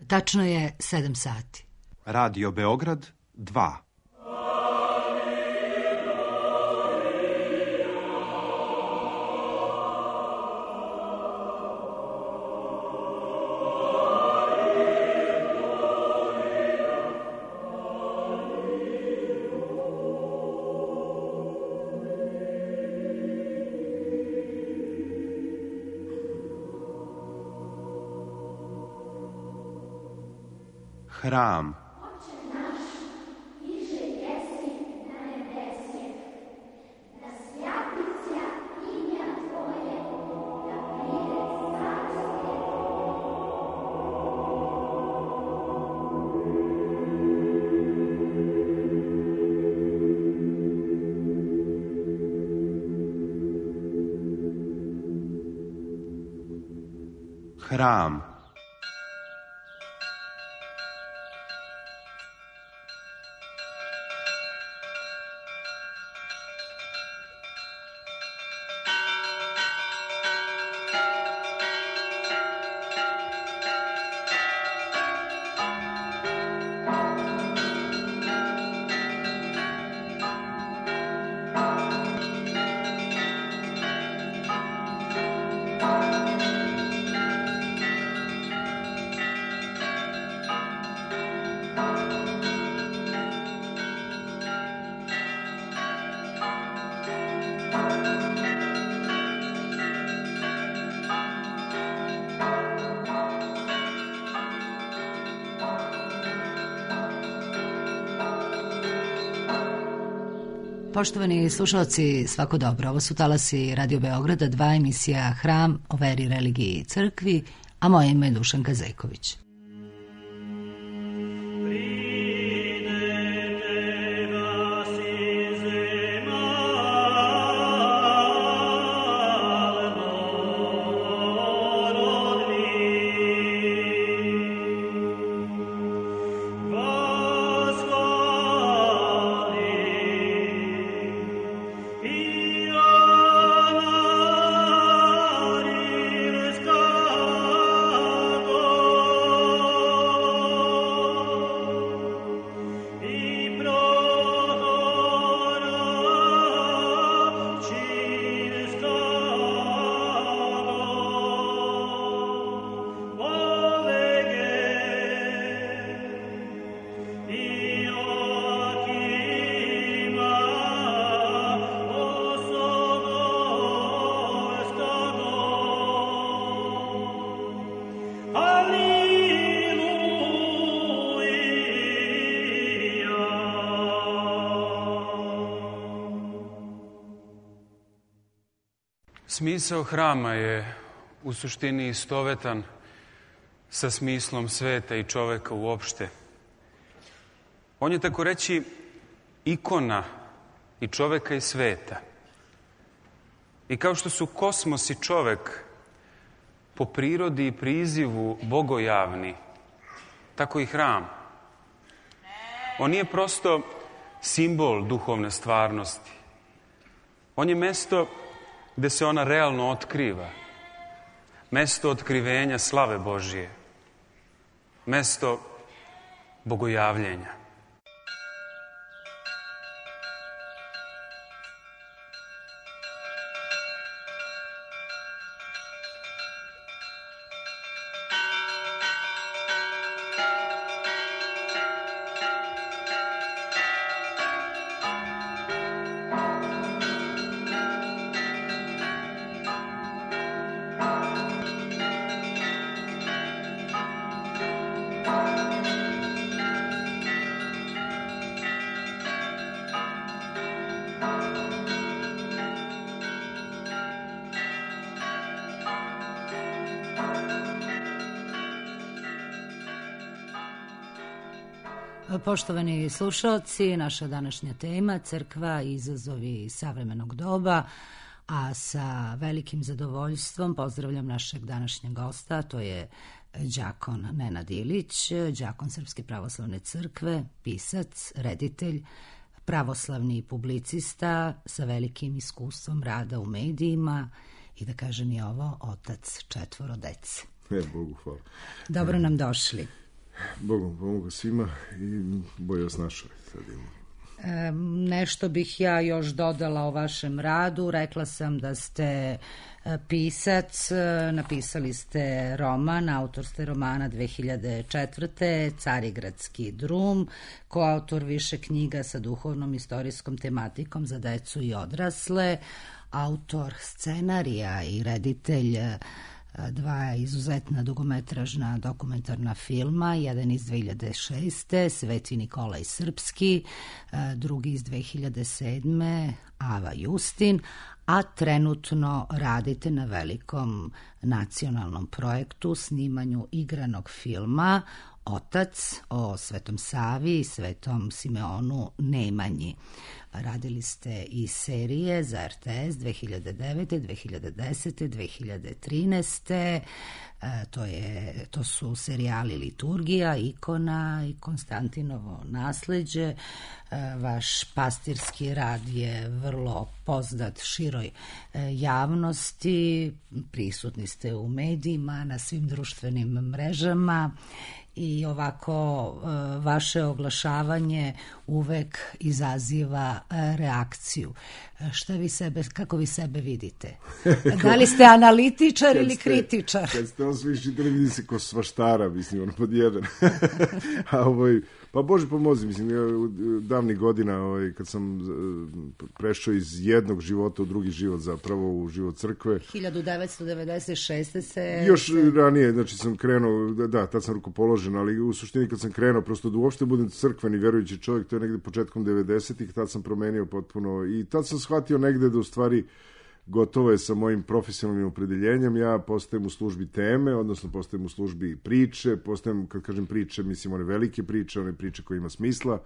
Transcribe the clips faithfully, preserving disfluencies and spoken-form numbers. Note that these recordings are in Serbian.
Tačno je sedam sati. Radio Beograd dva. Hram. Hram. Poštovani slušalci, svako dobro. Ovo su talasi Radio Beograda, dva, emisija Hram o veri, religiji i crkvi, a moje ime je Dušanka Zejković. Smisao hrama je u suštini istovetan sa smislom sveta i čoveka uopšte. On je, tako reći, ikona i čoveka i sveta. I kao što su kosmos i čovek po prirodi i prizivu bogojavni, tako i hram. On nije prosto simbol duhovne stvarnosti. On je mesto gde se ona realno otkriva. Mesto otkrivenja slave Božije. Mesto bogojavljenja. Poštovani slušalci, naša današnja tema crkva i izazovi savremenog doba, a sa velikim zadovoljstvom pozdravljam našeg današnjeg gosta, to je đakon Nenad Ilić, đakon Srpske pravoslavne crkve, pisac, reditelj, pravoslavni publicista sa velikim iskustvom rada u medijima i da kažem i ovo, otac četvoro dece. Ne, Bogu hvala. Dobro nam došli. Bogom pomogu svima i bolje vas našao. Sad imamo. E, nešto bih ja još dodala o vašem radu. Rekla sam da ste pisac, napisali ste roman, autor ste romana dve hiljade četvrte. Carigradski drum, koautor više knjiga sa duhovnom istorijskom tematikom za decu i odrasle, autor scenarija i reditelj dva izuzetna dugometražna dokumentarna filma, jedan iz dve hiljade šeste. Sveti Nikolaj Srpski, drugi iz dve hiljade sedme. Ava Justin, a trenutno radite na velikom nacionalnom projektu, snimanju igranog filma Otac, o Svetom Savi i Svetom Simeonu Nemanji. Radili ste i serije za er te es dve hiljade devete, dve hiljade desete, dve hiljade trinaeste. E, to, je, to su serijali Liturgija, Ikona i Konstantinovo nasleđe. E, vaš pastirski rad je vrlo poznat široj e, javnosti. Prisutni ste u medijima, na svim društvenim mrežama. I ovako vaše oglašavanje uvek izaziva reakciju. Šta vi sebe, kako vi sebe vidite? Da li ste analitičar ili ste, kritičar? Kad ste on svi čitali, vidi se ko svaštara, mislim, ono pod jedan. A ovoj, pa Bože pomozi, mislim, ja davnih godina, ovaj, kad sam prešao iz jednog života u drugi život, zapravo u život crkve. hiljadu devetsto devedeset šeste se... Još se... ranije, znači sam krenuo, da, tad sam rukopoložen, ali u suštini kad sam krenuo, prosto da uopšte budem crkveni, verujući čovjek, to je negde početkom devedesetih, tad sam promenio potpuno i tad sam shvatio negde da u stvari gotovo je sa mojim profesionalnim opredeljenjem, ja postajem u službi teme, odnosno postajem u službi priče, postajem, kad kažem priče, mislim one velike priče, one priče koje ima smisla,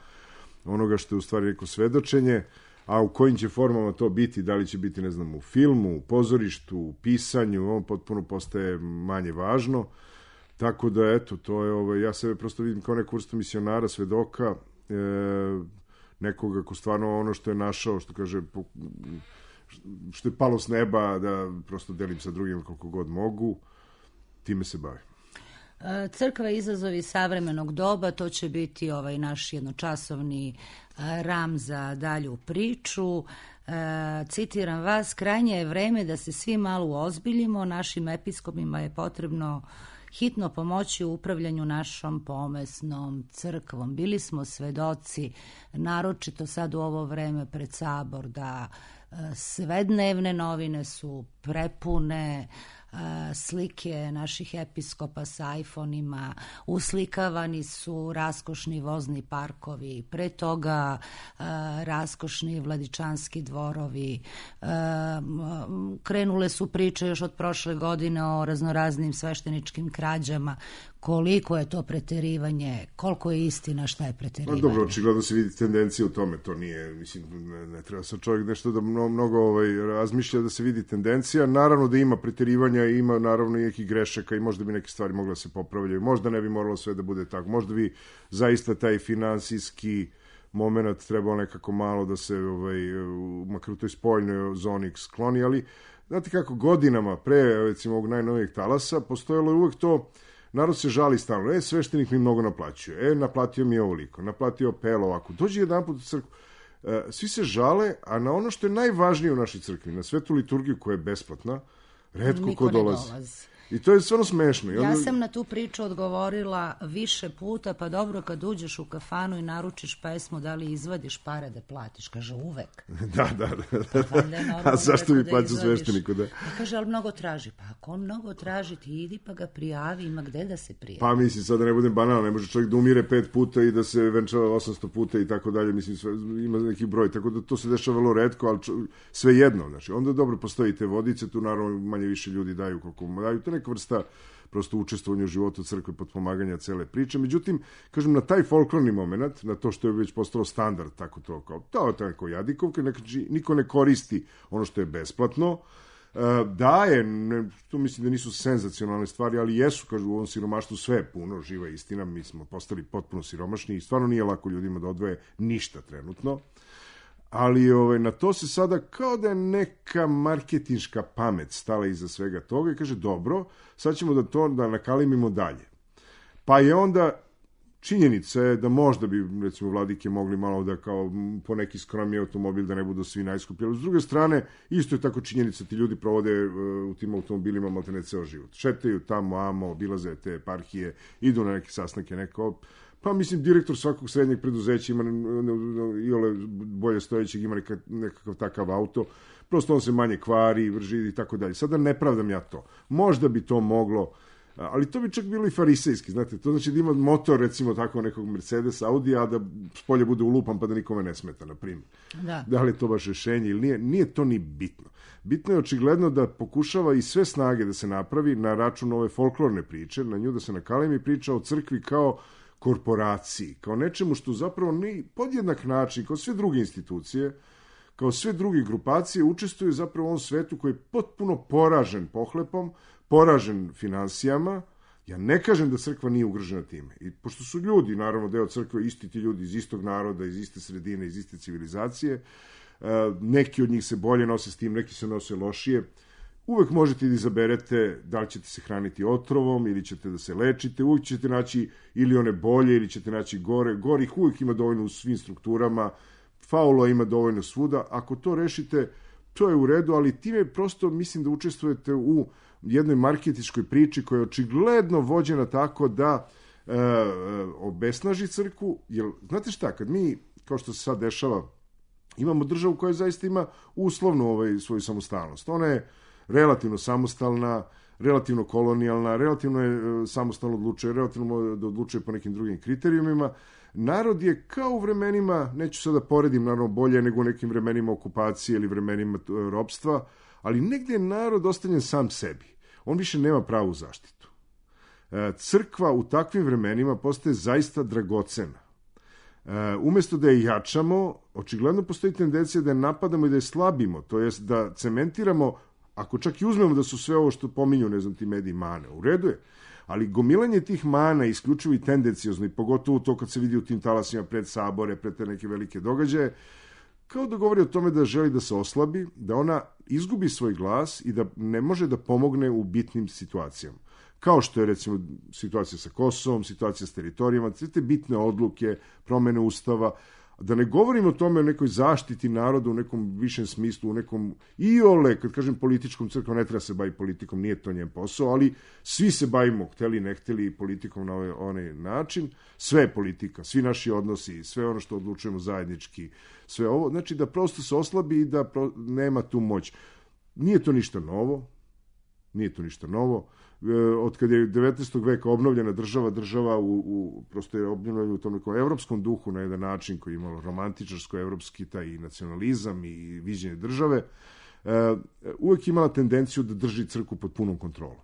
onoga što je u stvari neko svedočenje, a u kojim će formama to biti, da li će biti, ne znam, u filmu, u pozorištu, u pisanju, on potpuno postaje manje važno, tako da, eto, to je, ovaj, ja sebe prosto vidim kao neku vrstu misionara, svedoka, e, nekoga ko stvarno ono što je našao, što kaže, po, što je palo s neba, da prosto delim sa drugim koliko god mogu, time se bavim. Crkva izazovi savremenog doba, to će biti ovaj naš jednočasovni ram za dalju priču. Citiram vas, krajnje je vreme da se svi malo uozbiljimo, našim episkopima je potrebno hitno pomoći u upravljanju našom pomesnom crkvom. Bili smo svedoci, naročito sad u ovo vreme pred Sabor, da sve dnevne novine su prepune slike naših episkopa sa iPhone-ima, uslikavani su raskošni vozni parkovi, pre toga raskošni vladičanski dvorovi, krenule su priče još od prošle godine o raznoraznim svešteničkim krađama. Koliko je to preterivanje, koliko je istina, šta je preterivanje? No, dobro, očigledno se vidi tendencija u tome, to nije, mislim, ne, ne treba sad čovjek nešto da mnogo, mnogo ovaj, razmišlja da se vidi tendencija, naravno da ima preterivanja, ima naravno i nekih grešaka i možda bi neke stvari mogle da se popravljaju, možda ne bi moralo sve da bude tako, možda bi zaista taj finansijski moment trebao nekako malo da se, ovaj, makar u toj spoljnoj zoni skloni, ali znate kako, godinama pre, recimo, ovog najnovijeg talasa, postojalo je uvek to. Narod se žali stalno, e, sveštenik mi mnogo naplaćuje, e, naplatio mi ovoliko, naplatio pel ovako, dođe jedan put u crkvu, e, svi se žale, a na ono što je najvažnije u našoj crkvi, na svetu liturgiju koja je besplatna, retko niko ko dolazi. dolazi. I to je stvarno smešno. Ja sam na tu priču odgovorila više puta, pa dobro, kad uđeš u kafanu i naručiš pesmu, da li izvadiš pare da platiš? Kaže, uvek. Da, da, da. Pa, a zašto bi plaćao svešteniku? Da? Ja kaže, ali mnogo traži. Pa ako on mnogo traži, ti idi pa ga prijavi, ima gde da se prijavi. Pa mislim, sad da ne budem banal, ne može čovjek da umire pet puta i da se venčava osamsto puta i tako dalje, mislim, sve, ima neki broj, tako da to se dešava vrlo retko, ali čo, sve jedno, znači, onda dobro postoji te vodice, tu naravno manje više ljudi daju koliko daju, to neka vrsta prosto učestvovanja u životu crkve, potpomaganja cele priče. Međutim, kažem, na taj folklorni moment, na to što je već postalo standard, tako to kao, to je tako jadikovka, niko ne koristi ono što je besplatno, daje, ne, tu mislim da nisu senzacionalne stvari, ali jesu, kažu, u ovom siromaštvu sve je puno, živa istina, mi smo postali potpuno siromašni i stvarno nije lako ljudima da odvoje ništa trenutno. Ali ovaj, na to se sada kao da je neka marketinška pamet stala iza svega toga i kaže, dobro, sad ćemo da to da nakalimimo dalje. Pa je onda činjenica je da možda bi, recimo, vladike mogli malo da kao po neki skromni automobil da ne budu svi najskuplji. Ali s druge strane, isto je tako činjenica, ti ljudi provode u tim automobilima maltene ceo život. Šetaju tamo, amo, obilaze te eparhije, idu na neke sastanke, neko... Pa mislim, direktor svakog srednjeg preduzeća ima i ole bolje stojećeg, ima nekakav takav auto, prosto on se manje kvari, vrži i tako dalje. Sada ne pravdam ja to. Možda bi to moglo, ali to bi čak bilo i farisejski, znate, to znači da ima motor, recimo tako nekog Mercedes, Audi, a da spolje bude ulupan pa da nikome ne smeta, na primjer. Da. Da li je to baš rešenje ili nije? Nije to ni bitno. Bitno je očigledno da pokušava i sve snage da se napravi na račun ove folklorne priče, na nju da se nakalemi priča o crkvi kao korporaciji, kao nečemu što zapravo ni podjednak način, kao sve druge institucije, kao sve druge grupacije, učestvuju zapravo u ovom svetu koji je potpuno poražen pohlepom, poražen finansijama. Ja ne kažem da crkva nije ugrožena time. I pošto su ljudi, naravno, deo crkve, isti ti ljudi iz istog naroda, iz iste sredine, iz iste civilizacije, neki od njih se bolje nose s tim, neki se nose lošije. Uvek možete da izaberete da li ćete se hraniti otrovom ili ćete da se lečite, uvek ćete naći ili one bolje ili ćete naći gore. Gorih uvek ima dovoljno u svim strukturama, faulo ima dovoljno svuda. Ako to rešite, to je u redu, ali time prosto mislim da učestvujete u jednoj marketičkoj priči koja je očigledno vođena tako da e, obesnaži crkvu. Jer, znate šta, kad mi, kao što se sad dešava, imamo državu koja zaista ima uslovno ovaj, svoju samostalnost. Ona je relativno samostalna, relativno kolonijalna, relativno je samostalno odlučuje, relativno da odlučuje po nekim drugim kriterijumima. Narod je kao u vremenima, neću sada poredim naravno bolje nego u nekim vremenima okupacije ili vremenima ropstva, ali negdje je narod ostavljen sam sebi. On više nema pravu zaštitu. Crkva u takvim vremenima postaje zaista dragocena. Umesto da je jačamo, očigledno postoji tendencija da je napadamo i da je slabimo, to jest da cementiramo. Ako čak i uzmemo da su sve ovo što pominju, ne znam, ti mediji mane, u redu je, ali gomilanje tih mana isključivo i tendencijozno, i pogotovo to kad se vidi u tim talasima pred sabore, pred te neke velike događaje, kao da govori o tome da želi da se oslabi, da ona izgubi svoj glas i da ne može da pomogne u bitnim situacijama. Kao što je, recimo, situacija sa Kosovom, situacija s teritorijama, sve te bitne odluke, promene ustava. Da ne govorim o tome o nekoj zaštiti naroda u nekom višem smislu, u nekom iole, kad kažem političkom, crkva ne treba se baviti politikom, nije to njen posao, ali svi se bavimo, hteli ne hteli, politikom na ovaj, onaj način. Sve je politika, svi naši odnosi, sve ono što odlučujemo zajednički, sve ovo, znači da prosto se oslabi i da pro, nema tu moć. Nije to ništa novo, nije to ništa novo. Od kada je devetnaestog veka obnovljena država, država u, u, prosto je obnovljena u tom nekom evropskom duhu na jedan način koji je imalo romantičarsko-evropski taj i nacionalizam i viđenje države, uvek imala tendenciju da drži crkvu pod punom kontrolom.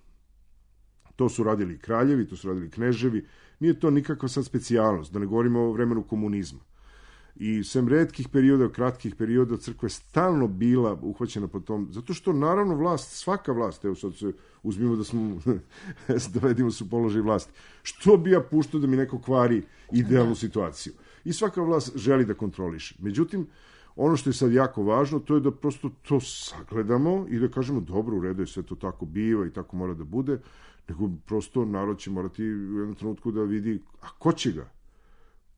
To su radili i kraljevi, to su radili kneževi, nije to nikakva sad specijalnost, da ne govorimo o vremenu komunizma. I sem retkih perioda, kratkih perioda, crkva je stalno bila uhvaćena po tom, zato što naravno vlast, svaka vlast, evo sad se uzmimo da smo, dovedimo se u položaj vlasti, što bi ja puštao da mi neko kvari idealnu situaciju? I svaka vlast želi da kontroliše. Međutim, ono što je sad jako važno, to je da prosto to sagledamo i da kažemo, dobro, u redu je, sve to tako biva i tako mora da bude, nego prosto narod će morati u jednom trenutku da vidi, a ko će ga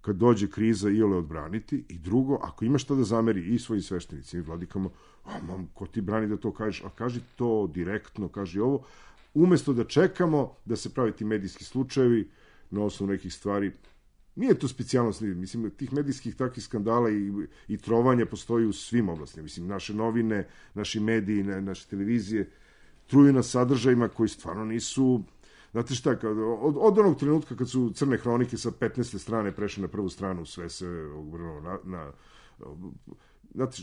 kad dođe kriza iole odbraniti, i drugo, ako ima šta da zameri i svojim sveštenicima i vladikama, a mam, ko ti brani da to kažeš, a kaži to direktno, kaži ovo, umesto da čekamo da se pravi ti medijski slučajevi na osnovu nekih stvari. Nije to specijalnost, mislim, tih medijskih takvih skandala i, i trovanja postoji u svim oblastima. Mislim, naše novine, naši mediji, naše televizije truju nas sadržajima koji stvarno nisu. Znate šta, kad, od, od onog trenutka kad su crne hronike sa petnaeste strane prešle na prvu stranu, sve se obrnulo na, na, znate,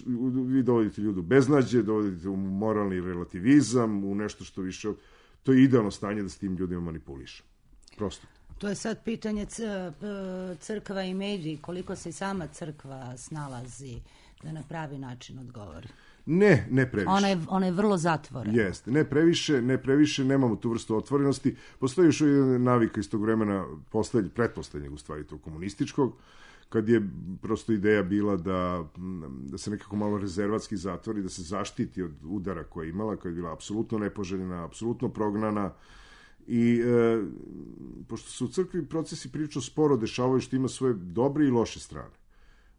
vi dovodite ljudu beznađe, dovodite u moralni relativizam, u nešto što više, to je idealno stanje da s tim ljudima manipuliše. Prosto. To je sad pitanje crkva i mediji, koliko se i sama crkva snalazi da na pravi način odgovori. Ne, ne previše. Ona je, ona je vrlo zatvorena. Jeste, ne previše, ne previše, nemamo tu vrstu otvorenosti. Postoji još jedna navika iz tog vremena, poslednjeg, pretposlednjeg u stvari tog komunističkog, kad je prosto ideja bila da, da se nekako malo rezervatski zatvori, da se zaštiti od udara koje je imala, koja je bila apsolutno nepoželjena, apsolutno prognana, I e, pošto se u crkvi procesi prilično sporo dešavaju, što ima svoje dobre i loše strane.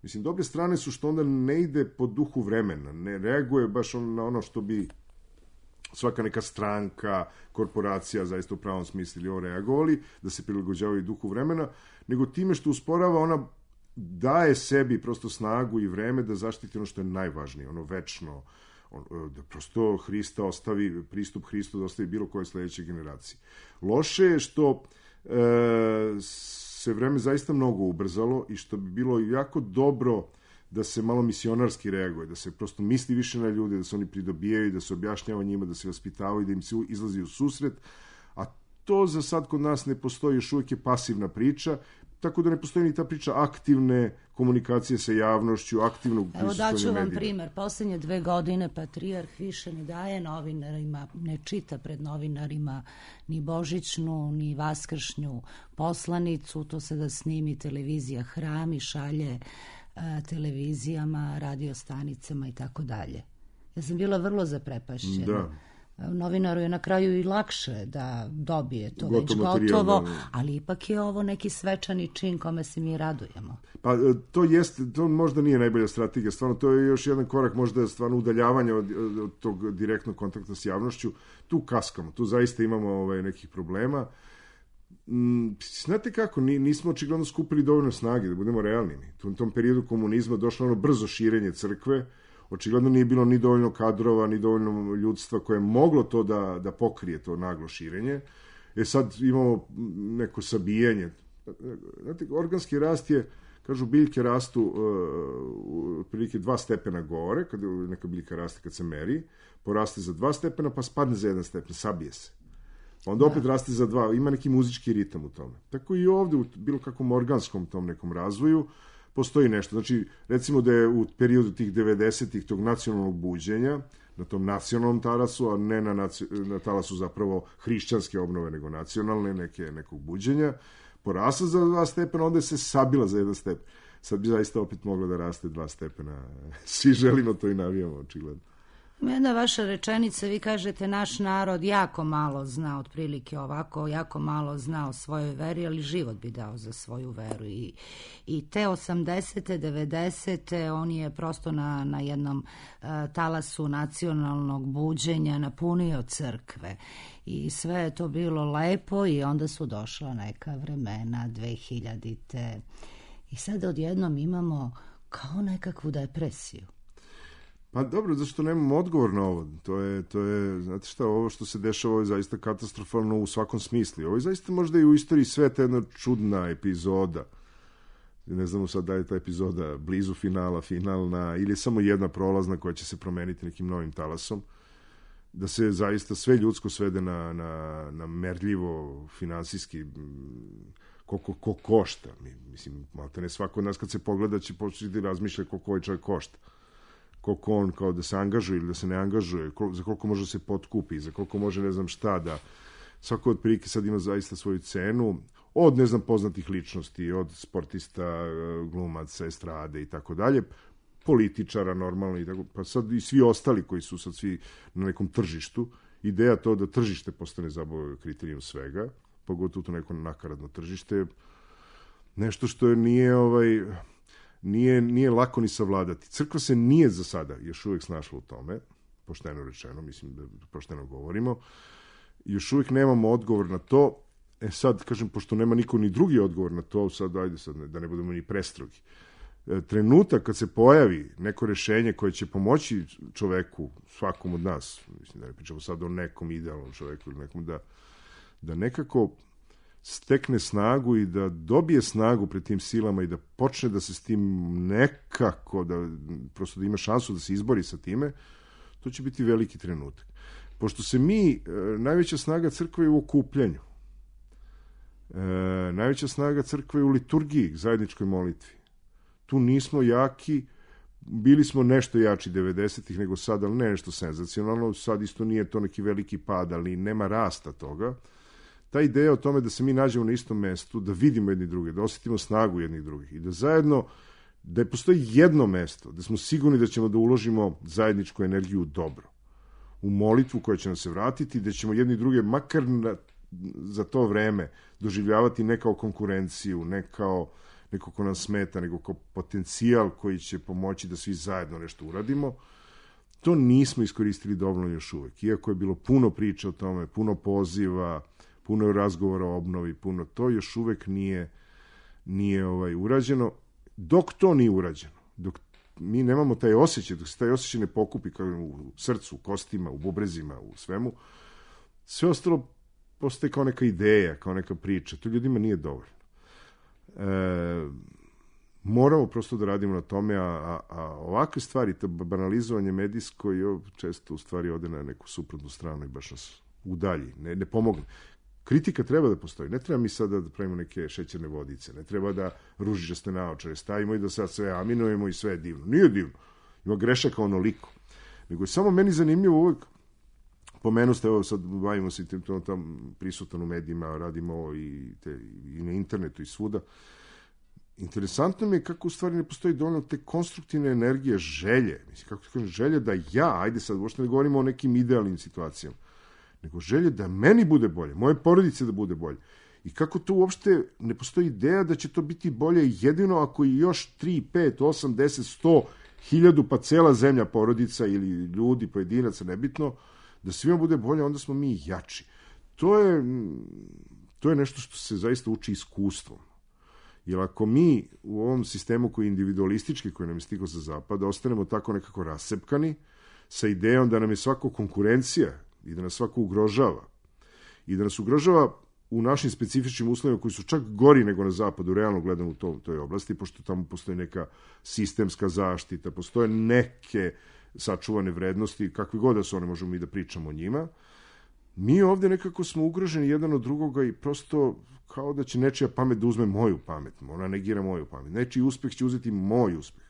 Mislim, dobre strane su što onda ne ide po duhu vremena, ne reaguje baš on, na ono što bi svaka neka stranka, korporacija, zaista u pravom smislu ili on reagovali, da se prilagođavaju duhu vremena, nego time što usporava, ona daje sebi prosto snagu i vreme da zaštiti ono što je najvažnije, ono večno, on, da prosto Hrista ostavi, pristup Hristu da ostavi bilo koje sledeće generacije. Loše je što e, se vreme zaista mnogo ubrzalo i što bi bilo jako dobro da se malo misionarski reaguje, da se prosto misli više na ljude, da se oni pridobijaju, da se objašnjava njima, da se vaspitavaju, da im se izlazi u susret, a to za sad kod nas ne postoji, još uvijek je pasivna priča, tako da ne postoji ni ta priča aktivne komunikacije sa javnošću, aktivnog prisustvovanja medijima. Evo daću vam primer. Poslednje dve godine patrijarh više ne daje novinarima, ne čita pred novinarima ni božićnu, ni vaskršnju poslanicu, to se da snimi televizija Hram i šalje televizijama, radiostanicama i tako dalje. Ja sam bila vrlo zaprepašćena. Da. Novinaru je na kraju i lakše da dobije to Gotov već materijal, gotovo, da, da. Ali ipak je ovo neki svečani čin kome se mi radujemo. Pa to jeste, to možda nije najbolja strategija, stvarno to je još jedan korak možda stvarno udaljavanja od, od tog direktnog kontakta s javnošću. Tu kaskamo, tu zaista imamo ovaj, nekih problema. Znate kako, nismo očigledno skupili dovoljno snage, da budemo realni. U tom periodu komunizma došlo ono brzo širenje crkve, očigledno nije bilo ni dovoljno kadrova, ni dovoljno ljudstva koje je moglo to da, da pokrije to naglo širenje. E sad imamo neko sabijanje. Znate, organski rast je, kažu, biljke rastu uh, otprilike dva stepena gore, kada neka biljka raste kad se meri, poraste za dva stepena, pa spadne za jedan stepen, sabije se. Onda opet da. raste za dva, ima neki muzički ritam u tome. Tako i ovde, u bilo kakvom organskom tom nekom razvoju, postoji nešto. Znači, recimo da je u periodu tih devedesetih tog nacionalnog buđenja, na tom nacionalnom talasu, a ne na, naci... na talasu zapravo hrišćanske obnove, nego nacionalne, neke, nekog buđenja, porasla za dva stepena, onda je se sabila za jedan stepen. Sad bi zaista opet mogla da raste dva stepena. Svi želimo to i navijamo, očigledno. Jedna vaša rečenica, vi kažete naš narod jako malo zna, otprilike ovako, jako malo zna o svojoj veri, ali život bi dao za svoju veru. I, i te osamdesete, devedesete on je prosto na, na jednom uh, talasu nacionalnog buđenja napunio crkve. I sve je to bilo lepo i onda su došla neka vremena, dvehiljadite. I sad odjednom imamo kao nekakvu depresiju. Pa dobro, zašto nemamo odgovor na ovo? To je, to je, znate šta, ovo što se dešava je zaista katastrofalno u svakom smislu. Ovo je zaista možda i u istoriji sveta jedna čudna epizoda. Ne znamo sad da je ta epizoda blizu finala, finalna, ili samo jedna prolazna koja će se promeniti nekim novim talasom. Da se zaista sve ljudsko svede na, na, na merljivo, finansijski, koliko ko košta. Mislim, malte ne svako od nas kad se pogleda će početi razmišljati koliko ovaj čovjek košta. Koliko on kao da se angažuje ili da se ne angažuje, za koliko može se potkupi, za koliko može ne znam šta da... Svako od prilike sad ima zaista svoju cenu, od ne znam poznatih ličnosti, od sportista, glumaca, estrade i tako dalje, političara normalno i tako, pa sad i svi ostali koji su sad svi na nekom tržištu. Ideja to da tržište postane zapravo kriterijum svega, pogotovo to neko nakaradno tržište, nešto što nije ovaj... Nije, nije lako ni savladati. Crkva se nije za sada još uvijek snašla u tome, pošteno rečeno, mislim da pošteno govorimo, još uvijek nemamo odgovor na to. E sad, kažem, pošto nema niko ni drugi odgovor na to, sad ajde sad da ne budemo ni prestrogi. E, trenutak kad se pojavi neko rešenje koje će pomoći čoveku, svakom od nas, mislim da ne pričamo sad o nekom idealnom čoveku ili nekom da, da nekako stekne snagu i da dobije snagu pred tim silama i da počne da se s tim nekako, da prosto da ima šansu da se izbori sa time, to će biti veliki trenutak. Pošto se mi, najveća snaga crkve je u okupljanju. E, najveća snaga crkve je u liturgiji, zajedničkoj molitvi. Tu nismo jaki, bili smo nešto jači devedesetih nego sad, ali ne nešto senzacionalno, sad isto nije to neki veliki pad, ali nema rasta toga. Ta ideja o tome da se mi nađemo na istom mestu, da vidimo jedni druge, da osjetimo snagu jednih drugih i da zajedno, da je postoji jedno mesto, da smo sigurni da ćemo da uložimo zajedničku energiju u dobro, u molitvu koja će nam se vratiti, da ćemo jedni druge makar na za to vreme doživljavati ne kao konkurenciju, ne kao neko ko nam smeta, nego kao potencijal koji će pomoći da svi zajedno nešto uradimo, to nismo iskoristili dovoljno još uvek. Iako je bilo puno priča o tome, puno poziva, puno razgovora o obnovi, puno to još uvek nije, nije ovaj, urađeno. Dok to nije urađeno, dok mi nemamo taj osjećaj, dok se taj osjećaj ne pokupi kao u srcu, u kostima, u bubrezima, u svemu, sve ostalo postaje kao neka ideja, kao neka priča. To ljudima nije dovoljno. E, moramo prosto da radimo na tome, a, a, a ovakve stvari, to banalizovanje medijsko je često u stvari ode na neku suprotnu stranu i baš nas udalji, ne, ne pomogne. Kritika treba da postoji. Ne treba mi sada da pravimo neke šećerne vodice, ne treba da ružičaste naočare stavimo i da sad sve aminujemo i sve je divno. Nije divno. Ima grešaka onoliko. Nego je samo meni zanimljivo uvek, pomenu ste, evo sad bavimo se i tam prisutan u medijima, radimo i, te, i na internetu i svuda. Interesantno mi je kako u stvari ne postoji dovoljno te konstruktivne energije, želje. Mislim, kako kažem, želje da ja, ajde sad, uopšte ne govorimo o nekim idealnim situacijama, nego želje da meni bude bolje, moje porodice da bude bolje. I kako to uopšte ne postoji ideja da će to biti bolje jedino ako i još tri, pet, osam, deset, sto, hiljadu, pa cela zemlja porodica ili ljudi, pojedinaca, nebitno, da svima bude bolje, onda smo mi jači. To je, to je nešto što se zaista uči iskustvom. Jer ako mi u ovom sistemu koji je individualistički, koji nam je stigao sa zapada, ostanemo tako nekako rasepkani, sa idejom da nam je svako konkurencija i da nas svako ugrožava, i da nas ugrožava u našim specifičnim uslovima koji su čak gori nego na zapadu, realno gledamo u to, toj oblasti, pošto tamo postoji neka sistemska zaštita, postoje neke sačuvane vrednosti, kakve god da su one, možemo i da pričamo o njima. Mi ovde nekako smo ugroženi jedan od drugoga i prosto kao da će nečija pamet da uzme moju pamet, ona negira moju pamet. Nečiji uspeh će uzeti moj uspeh.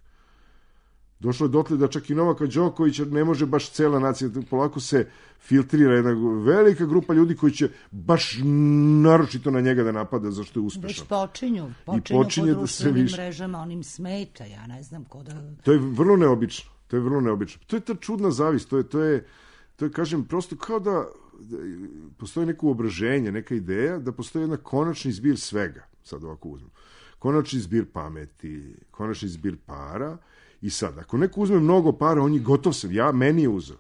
Došlo je dotle da čak i Novaka Đokovića ne može baš cela nacija, polako se filtrira jedna velika grupa ljudi koji će baš naročito na njega da napada zašto je uspešan. Već počinju, počinju počinje po društvenim viš... mrežama, onim smeta, ja ne znam ko da... To je vrlo neobično, to je vrlo neobično. To je ta čudna zavist, to je, to je, to je kažem, prosto kao da, da postoji neko uobraženje, neka ideja, da postoji jedna konačni zbir svega, sad ovako uzmem. Konačni zbir pameti, konačni zbir para. I sad, ako neko uzme mnogo para, on je gotov sam, ja, meni je uzeo.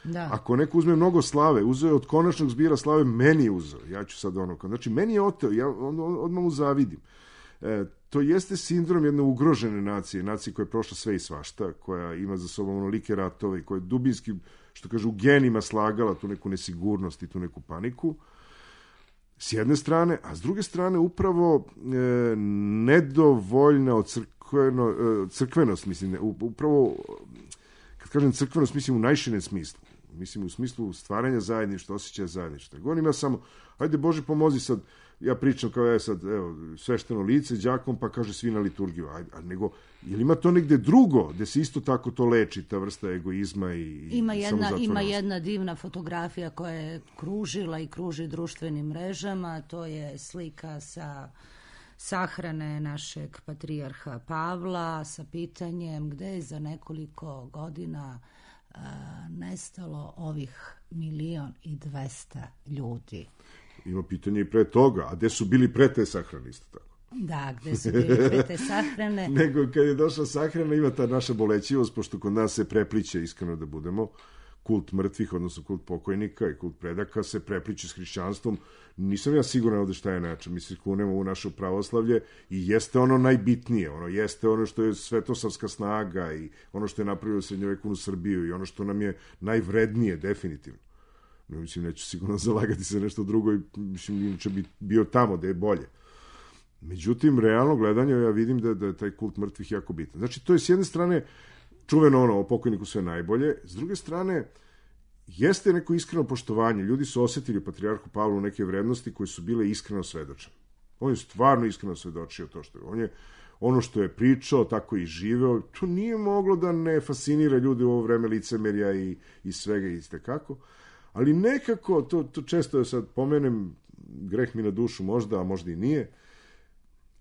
Da. Ako neko uzme mnogo slave, uzeo je od konačnog zbira slave, meni je uzeo. Ja ću sad ono, znači, meni je oteo, ja on, on, odmah mu zavidim. E, to jeste sindrom jedne ugrožene nacije, nacije koja je prošla sve i svašta, koja ima za sobom onolike ratove, koja je dubinski, što kaže, u genima slagala tu neku nesigurnost i tu neku paniku, s jedne strane, a s druge strane upravo e, nedovoljna od crkveno, e, crkvenost, mislim, upravo, kad kažem crkvenost, mislim u najširem smislu, mislim u smislu stvaranja zajedništva, osjećaja zajedništva. Govorim ja samo, ajde Bože pomozi sad, ja pričam kao ja sad, evo, svešteno lice, đakom, pa kaže svi na liturgiju, ajde, a nego, je li ima to negde drugo, gde se isto tako to leči, ta vrsta egoizma i ima jedna, ima jedna divna fotografija koja je kružila i kruži društvenim mrežama, to je slika sa sahrane našeg patrijarha Pavla sa pitanjem gde je za nekoliko godina a, nestalo ovih milion i dvesta ljudi. Ima pitanje i pre toga, a gde su bili pre te sahrane isto tako? Da, gde su bili pre te sahrane? Nego kad je došla sahrana ima ta naša bolećivost, pošto kod nas se prepliče, iskreno da budemo, kult mrtvih, odnosno kult pokojnika i kult predaka se prepliče s hrišćanstvom. Nisam ja siguran ovde šta je način. Mi se kunemo u naše pravoslavlje i jeste ono najbitnije, ono jeste ono što je svetosavska snaga i ono što je napravilo srednjovekovnu Srbiju i ono što nam je najvrednije, definitivno. No, mislim, neću sigurno zalagati se nešto drugo i mislim, inače bi bio tamo da je bolje. Međutim, realno gledanje, ja vidim da, da je taj kult mrtvih jako bitan. Znači, to je s jedne strane čuveno ono, o pokojniku sve najbolje, s druge strane, jeste neko iskreno poštovanje. Ljudi su osetili u patrijarhu Pavlu neke vrednosti koje su bile iskreno svedočene. On je stvarno iskreno svedočio to što je. On je ono što je pričao, tako i živeo. To nije moglo da ne fascinira ljudi u ovo vreme licemerja i, i svega i kako. Ali nekako, to, to često je sad pomenem, greh mi na dušu možda, a možda i nije,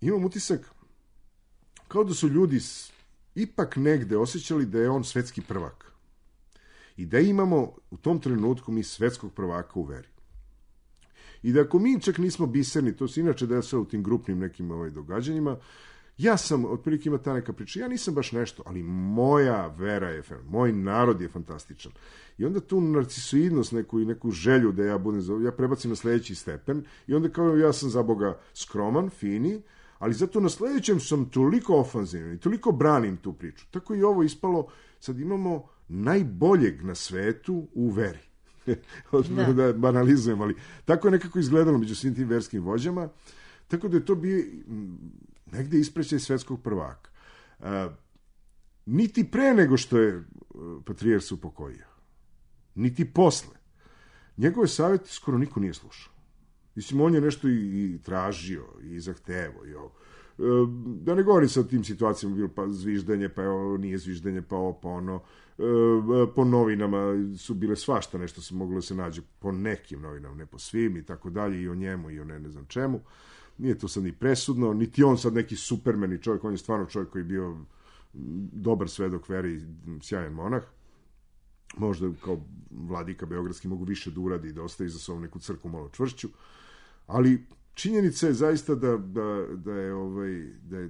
imam utisak kao da su ljudi ipak negde osjećali da je on svetski prvak. I da imamo u tom trenutku mi svetskog prvaka u veri. I da ako mi čak nismo biserni, to se inače desilo u tim grupnim nekim ovaj, događanjima, ja sam, otprilike ima ta neka priča, ja nisam baš nešto, ali moja vera je, moj narod je fantastičan. I onda tu narcisoidnost, neku i neku želju da ja budem, ja prebacim na sledeći stepen i onda kao ja sam za Boga skroman, fini, ali zato na sledećem sam toliko ofanzivan i toliko branim tu priču. Tako i ovo ispalo, sad imamo najboljeg na svetu u veri. da. da banalizujem, ali tako je nekako izgledalo među svim tim verskim vođama, tako da je to bio negde isprećaj svetskog prvaka. A, niti pre nego što je patrijarh se upokojio, niti posle. Njegove savjeti skoro niko nije slušao. Mislim, on je nešto i, i tražio, i zahtevo, i ovo. E, da ne govorim sa o tim situacijama, bilo pa zviždanje, pa ovo nije zviždanje, pa ovo, pa ono. E, po novinama su bile svašta, nešto se moglo da se nađe po nekim novinama, ne po svim, i tako dalje, i o njemu, i o ne, ne znam čemu. Nije to sad ni presudno, niti on sad neki supermen i čovjek, on je stvarno čovjek koji je bio dobar svedok veri, sjajan monah. Možda kao vladika beogradski mogu više da uradi i da ostavi za sobom neku crkvu malo čvršću, ali činjenica je zaista da, da, da, je, ovaj, da je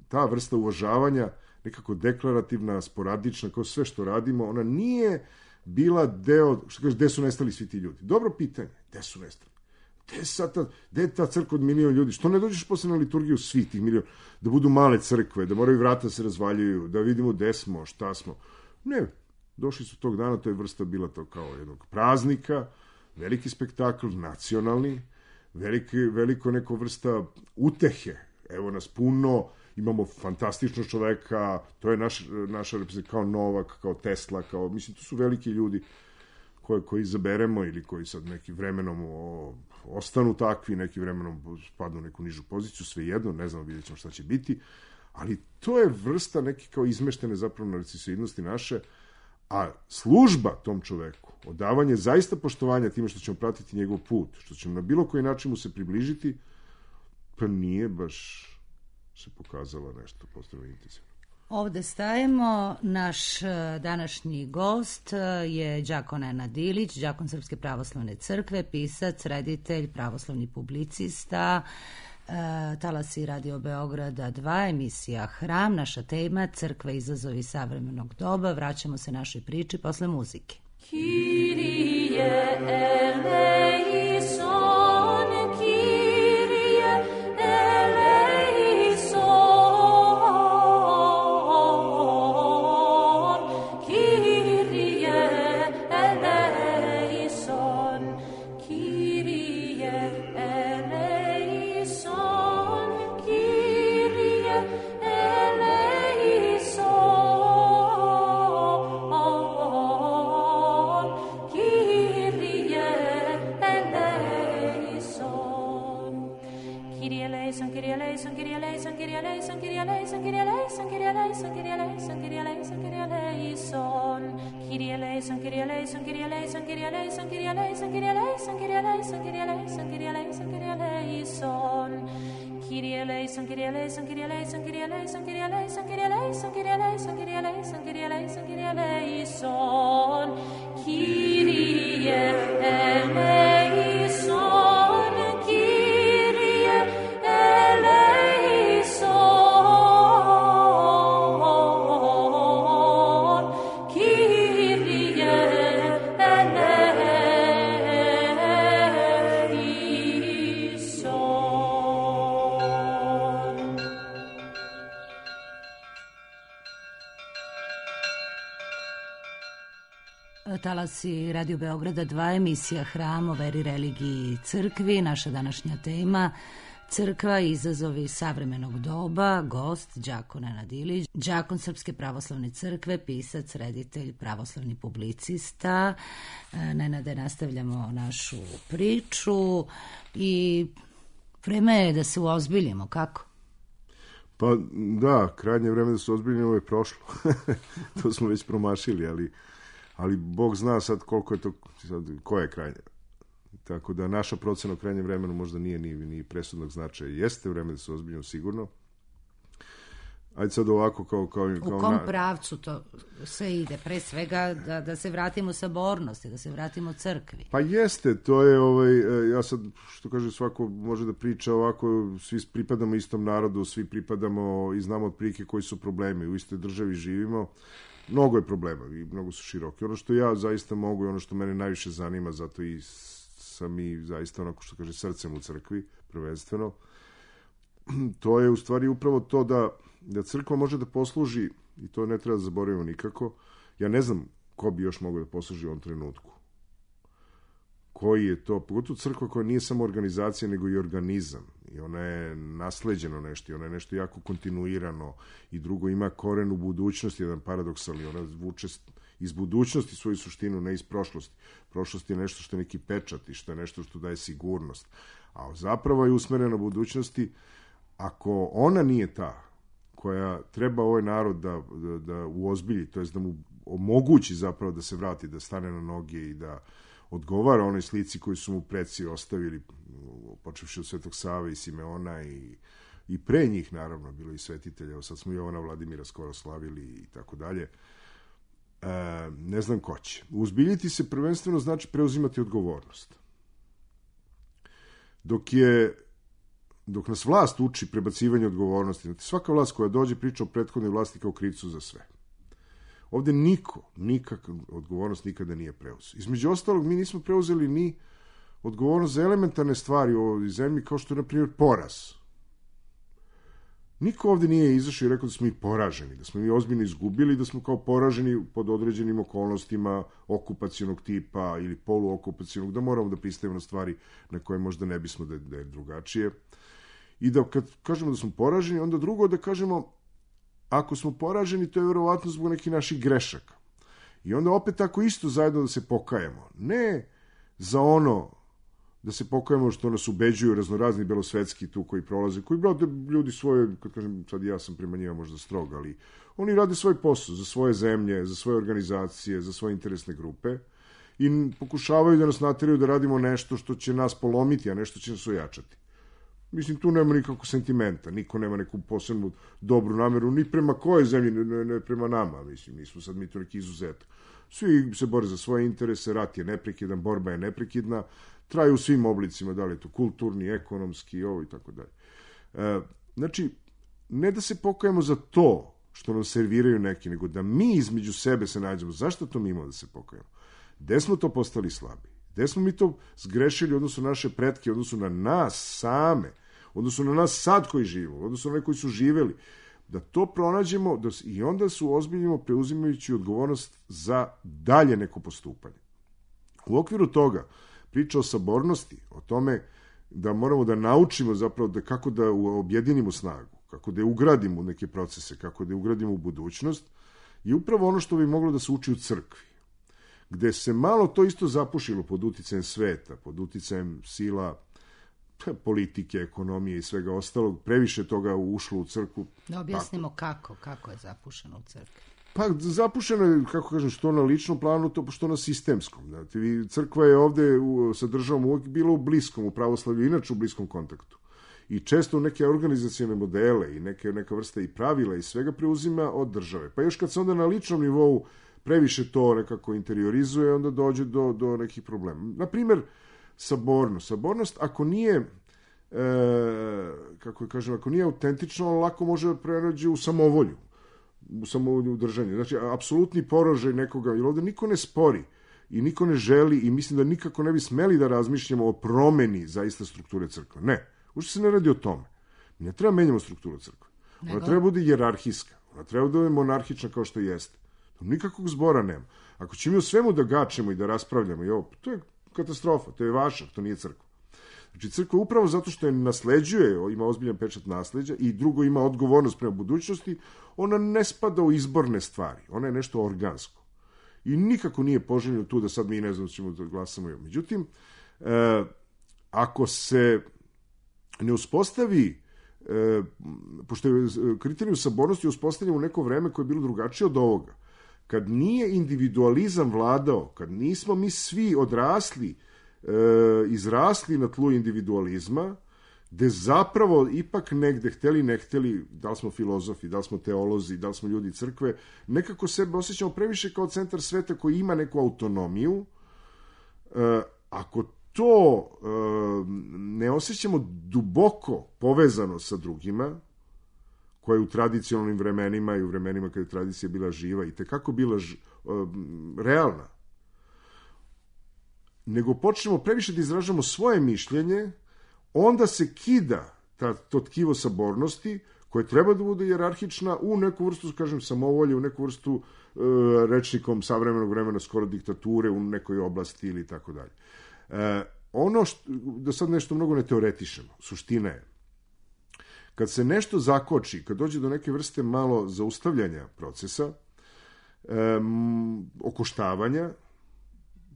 ta vrsta uvažavanja nekako deklarativna, sporadična, kao sve što radimo, ona nije bila deo, što kaže, gde su nestali svi ti ljudi? Dobro pitanje, gde su nestali? Gde, sad ta, gde je ta crkva od milion ljudi? Što ne dođeš posle na liturgiju svih tih milion? Da budu male crkve, da moraju vrata se razvaljuju, da vidimo gde smo, šta smo. Ne, došli su tog dana, to je vrsta bila to kao jednog praznika, veliki spektakl, nacionalni, veliki, veliko neko vrsta utehe. Evo nas puno, imamo fantastičnog čoveka, to je naš, naša reprezentacija, kao Novak, kao Tesla, kao, mislim, to su veliki ljudi koje, koji izaberemo ili koji sad neki vremenom o, ostanu takvi, neki vremenom spadnu u neku nižu poziciju, svejedno, ne znamo, vidjet ćemo šta će biti, ali to je vrsta neke kao izmeštene zapravo narcisoidnosti naše, a služba tom čoveku, odavanje zaista poštovanja time što ćemo pratiti njegov put, što ćemo na bilo koji način mu se približiti, pa nije baš se pokazalo nešto posebno intenzivno. Ovde stajemo. Naš današnji gost je đakon Nenad Ilić, đakon Srpske pravoslavne crkve, pisac, reditelj, pravoslavni publicista, Talasi Radio Beograda dva, emisija Hram, naša tema Crkva, izazovi savremenog doba. Vraćamo se našoj priči posle muzike. Kyrie eleison, Kyrie eleison, Kyrie eleison, Kyrie eleison, Kyrie eleison, Kyrie eleison. Kyrie eleison, Kyrie eleison, Kyrie eleison, Kyrie eleison, Kyrie eleison, Kyrie eleison, Kyrie eleison, Kyrie eleison, Kyrie eleison, Kyrie eleison. Kyrie eleison, Kyrie eleison, Kyrie eleison, Kyrie eleison, Kyrie eleison, Kyrie eleison, Kyrie eleison, Kyrie eleison, Kyrie eleison, Kyrie eleison. Kyrie eleison, Kyrie eleison, Kyrie eleison, Kyrie eleison, Kyrie eleison, Kyrie eleison, Kyrie eleison, Kyrie eleison, Kyrie eleison, Kyrie eleison. Kyrie eleison, Kyrie eleison, Kyrie eleison. Talasi Radio Beograda dva, emisija Hram o veri, religiji i crkvi. Naša današnja tema Crkva, izazovi savremenog doba. Gost đakon Nenad Ilić, đakon Srpske pravoslavne crkve, pisac, reditelj, pravoslavni publicista. Nenade, nastavljamo našu priču i vreme je da se uozbiljimo, kako? Pa da, krajnje vreme da se ozbiljimo je prošlo. To smo već promašili, ali ali Bog zna sad koliko je to, sad, ko je krajnje. Tako da naša procena o krajnjem vremenu možda nije ni, ni presudnog značaja. Jeste vreme da se ozbiljimo sigurno, ajde sad ovako kao... kao, kao u kom na... pravcu to sve ide? Pre svega da, da se vratimo sabornosti, da se vratimo crkvi. Pa jeste, to je, ovaj, ja sad, što kaže, svako može da priča ovako, svi pripadamo istom narodu, svi pripadamo i znamo otprilike koji su problemi, u istoj državi živimo, mnogo je problema i mnogo su široki. Ono što ja zaista mogu i ono što mene najviše zanima, zato i sam i zaista onako što kaže srcem u crkvi, prvenstveno, to je u stvari upravo to da, da crkva može da posluži, i to ne treba da zaboravimo nikako, ja ne znam ko bi još mogao da posluži u ovom trenutku. Koji je to, pogotovo crkva koja nije samo organizacija, nego i organizam. I ona je nasleđeno nešto, i ona je nešto jako kontinuirano, i drugo ima koren u budućnosti, jedan paradoksalni, ona vuče iz budućnosti svoju suštinu, ne iz prošlosti. Prošlost je nešto što je neki pečat i što je nešto što daje sigurnost. A zapravo je usmerena budućnosti. Ako ona nije ta koja treba ovaj narod da, da, da uozbilji, to jest da mu omogući zapravo da se vrati, da stane na noge i da odgovara onoj slici koju su mu preci ostavili, počevši od Svetog Save i Simeona i, i pre njih, naravno, bilo i svetitelja, evo sad smo Jovana Vladimira skoro slavili i tako dalje. E, ne znam ko će. Uzbiljiti se prvenstveno znači preuzimati odgovornost. Dok je dok nas vlast uči prebacivanje odgovornosti, znači svaka vlast koja dođe priča o prethodnoj vlasti kao krivcu za sve. Ovde niko, nikakva odgovornost nikada nije preuzeo. Između ostalog, mi nismo preuzeli ni odgovornost za elementarne stvari u ovoj zemlji, kao što je, na primjer, poraz. Niko ovde nije izašao i rekao da smo mi poraženi, da smo mi ozbiljno izgubili, da smo kao poraženi pod određenim okolnostima okupacionog tipa ili poluokupacionog, da moramo da pristajemo na stvari na koje možda ne bismo da, da je drugačije. I da kad kažemo da smo poraženi, onda drugo da kažemo ako smo poraženi, to je verovatno zbog nekih naših grešaka. I onda opet tako isto zajedno da se pokajemo. Ne za ono da se pokajemo što nas ubeđuju raznorazni belosvetski tu koji prolaze, koji brate ljudi svoje, kad kažem sad ja sam prema njima možda strog, ali oni rade svoj posao za svoje zemlje, za svoje organizacije, za svoje interesne grupe i pokušavaju da nas nateraju da radimo nešto što će nas polomiti, a nešto će nas ojačati. Mislim, tu nema nikakvog sentimenta, niko nema neku posebnu dobru nameru, ni prema koje zemlji, ne, ne prema nama, mislim, nismo sad mi to neki izuzetak. Svi se bore za svoje interese, rat je neprekidan, borba je neprekidna, traju u svim oblicima, da li je to kulturni, ekonomski, ovo i tako dalje. E, znači, ne da se pokajemo za to što nam serviraju neki, nego da mi između sebe se nađemo. Zašto to mi imamo da se pokajemo? Gde smo to postali slabi? Gde smo mi to zgrešili odnosno na naše pretke, odnosno na nas same, odnosno na nas sad koji živimo, odnosno na one koji su živeli, da to pronađemo da, i onda su ozbiljimo preuzimajući odgovornost za dalje neko postupanje. U okviru toga priča o sabornosti, o tome da moramo da naučimo zapravo da kako da objedinimo snagu, kako da je ugradimo u neke procese, kako da je ugradimo u budućnost, je upravo ono što bi moglo da se uči u crkvi, gde se malo to isto zapušilo pod uticajem sveta, pod uticajem sila politike, ekonomije i svega ostalog, previše toga ušlo u crkvu. Da objasnimo kako, kako je zapušeno u crkvi. Pa zapušeno je, kako kažem, što na ličnom planu, to što na sistemskom. Znate, crkva je ovde u, sa državom uvijek bila u bliskom, u pravoslavlju, inače u bliskom kontaktu. I često neke organizacijone modele i neke, neka vrsta i pravila i svega preuzima od države. Pa još kad se onda na ličnom nivou previše to nekako interiorizuje, onda dođe do, do nekih problema. Naprimer, sabornost. Sabornost, ako nije, e, kako kažem, ako nije autentično, lako može prenađe u samovolju, u samovolju u držanju. Znači, apsolutni porožaj nekoga, jer ovde niko ne spori i niko ne želi i mislim da nikako ne bi smeli da razmišljamo o promeni zaista strukture crkve. Ne, uopšte se ne radi o tome. Mi ne treba menjamo strukturu crkve. Ona Nego? treba bude hijerarhijska, ona treba da bude monarhična kao što jeste. Nikakvog zbora nema. Ako ćemo o svemu da gačemo i da raspravljamo, i ovo, to je katastrofa, to je vaša, to nije crkva. Znači, crkva upravo zato što je nasleđuje, ima ozbiljan pečat nasleđa i drugo ima odgovornost prema budućnosti, ona ne spada u izborne stvari, ona je nešto organsko. I nikako nije poželjno tu da sad mi ne znam da ćemo da glasamo. Međutim, e, ako se ne uspostavi, e, pošto je kriterijum sabornosti uspostavljen u neko vreme koje je bilo drugačije od ovoga, kad nije individualizam vladao, kad nismo mi svi odrasli, e, izrasli na tlu individualizma, gde zapravo ipak negde, hteli ne hteli, da li smo filozofi, da li smo teolozi, da li smo ljudi crkve, nekako sebe osjećamo previše kao centar sveta koji ima neku autonomiju. E, ako to e, ne osjećamo duboko povezano sa drugima, koja je u tradicionalnim vremenima i u vremenima kada je tradicija bila živa i tekako bila ž, e, realna, nego počnemo previše da izražamo svoje mišljenje, onda se kida ta, to tkivo sabornosti, koje treba da bude jerarhična u neku vrstu, kažem, samovolje, u neku vrstu e, rečnikom savremenog vremena, skoro diktature u nekoj oblasti ili tako dalje. E, ono što, da sad nešto mnogo ne teoretišemo, suština je, kad se nešto zakoči, kad dođe do neke vrste malo zaustavljanja procesa, e, okoštavanja,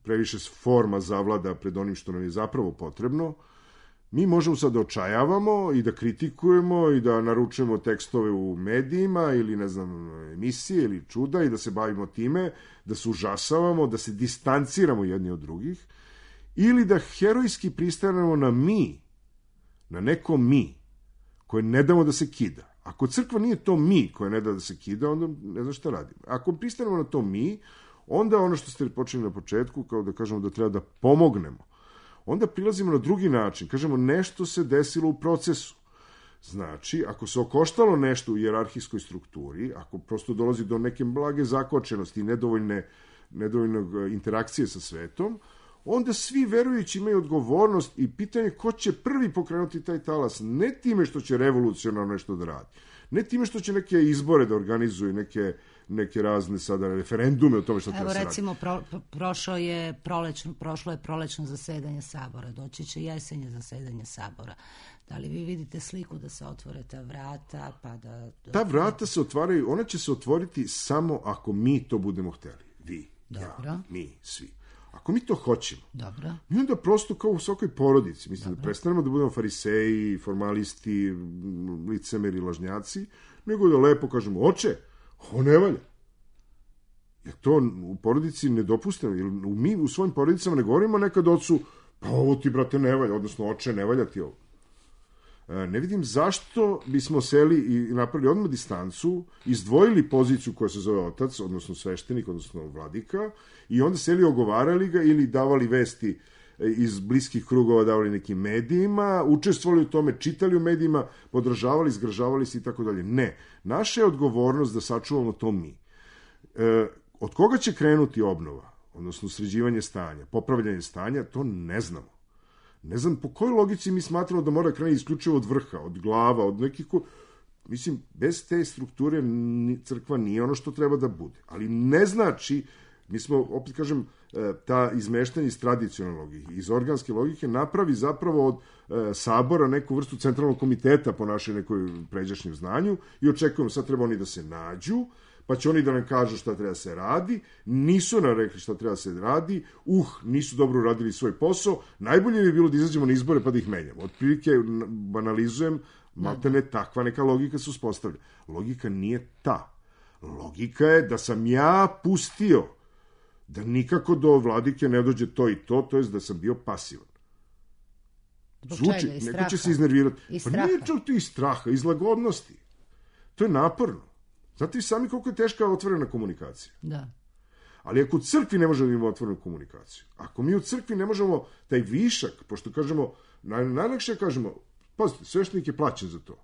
previše forma zavlada pred onim što nam je zapravo potrebno, mi možemo sad da očajavamo i da kritikujemo i da naručujemo tekstove u medijima ili, ne znam, emisije ili čuda i da se bavimo time, da se užasavamo, da se distanciramo jedni od drugih, ili da herojski pristanemo na mi, na neko mi, koje ne damo da se kida. Ako crkva nije to mi koje ne da da se kida, onda ne znam šta radimo. Ako pristanemo na to mi, onda ono što ste počeli na početku, kao da kažemo da treba da pomognemo, onda prilazimo na drugi način. Kažemo, nešto se desilo u procesu. Znači, ako se okoštalo nešto u hijerarhijskoj strukturi, ako prosto dolazi do neke blage zakočenosti i nedovoljne, nedovoljnog interakcije sa svetom, onda svi verujući imaju odgovornost i pitanje ko će prvi pokrenuti taj talas, ne time što će revolucionarno nešto da radi, ne time što će neke izbore da organizuju, neke, neke razne sada referendume o tome što treba se radi. Evo recimo, pro, prošlo je prolečno, prošlo je prolečno zasedanje Sabora, doći će jesenje zasedanje Sabora. Da li vi vidite sliku da se otvore ta vrata? Pa da, da... Ta vrata se otvaraju, ona će se otvoriti samo ako mi to budemo hteli. Vi, Dobro. ja, mi, svi. Ako mi to hoćemo, Dobro. mi onda prosto kao u svakoj porodici, mislim Dobro. da prestanemo da budemo fariseji, formalisti, licemeri, lažnjaci, nego da lepo kažemo, oče, ovo ne valja. Jer to u porodici ne dopustimo, jer mi u svojim porodicama ne govorimo nekad ocu, pa ovo ti, brate, ne valja, odnosno oče, ne valja ti ovo. Ne vidim zašto bismo seli i napravili odmah distancu, izdvojili poziciju koja se zove otac, odnosno sveštenik, odnosno vladika, i onda seli ogovarali ga ili davali vesti iz bliskih krugova, davali nekim medijima, učestvovali u tome, čitali u medijima, podržavali, zgražavali se i tako dalje. Ne. Naša je odgovornost da sačuvamo to mi. E, od koga će krenuti obnova, odnosno sređivanje stanja, popravljanje stanja, to ne znamo. Ne znam po kojoj logici mi smatramo da mora krenuti isključivo od vrha, od glava, od nekih ko... Mislim, bez te strukture crkva nije ono što treba da bude. Ali ne znači, mi smo, opet kažem, ta izmeštanje iz tradicionalne logike, iz organske logike, napravi zapravo od e, sabora neku vrstu centralnog komiteta po našoj nekoj pređašnjem znanju i očekujemo sad treba oni da se nađu, pa će oni da nam kažu šta treba se radi, nisu nam rekli šta treba se radi, uh, nisu dobro uradili svoj posao, najbolje bi bilo da izađemo na izbore pa da ih menjamo. Otprilike, banalizujem, maltene takva neka logika se uspostavlja. Logika nije ta. Logika je da sam ja pustio da nikako do vladike ne dođe to i to, to je da sam bio pasivan. Zvuči, neko će se iznervirati. Pa nije čak to iz straha, iz lagodnosti. To je naporno. Znate vi sami koliko je teška otvorena komunikacija. Da. Ali ako u crkvi ne možemo da imamo otvorenu komunikaciju, ako mi u crkvi ne možemo taj višak, pošto kažemo, naj, najlakše kažemo, pazite, sveštenik je plaćen za to.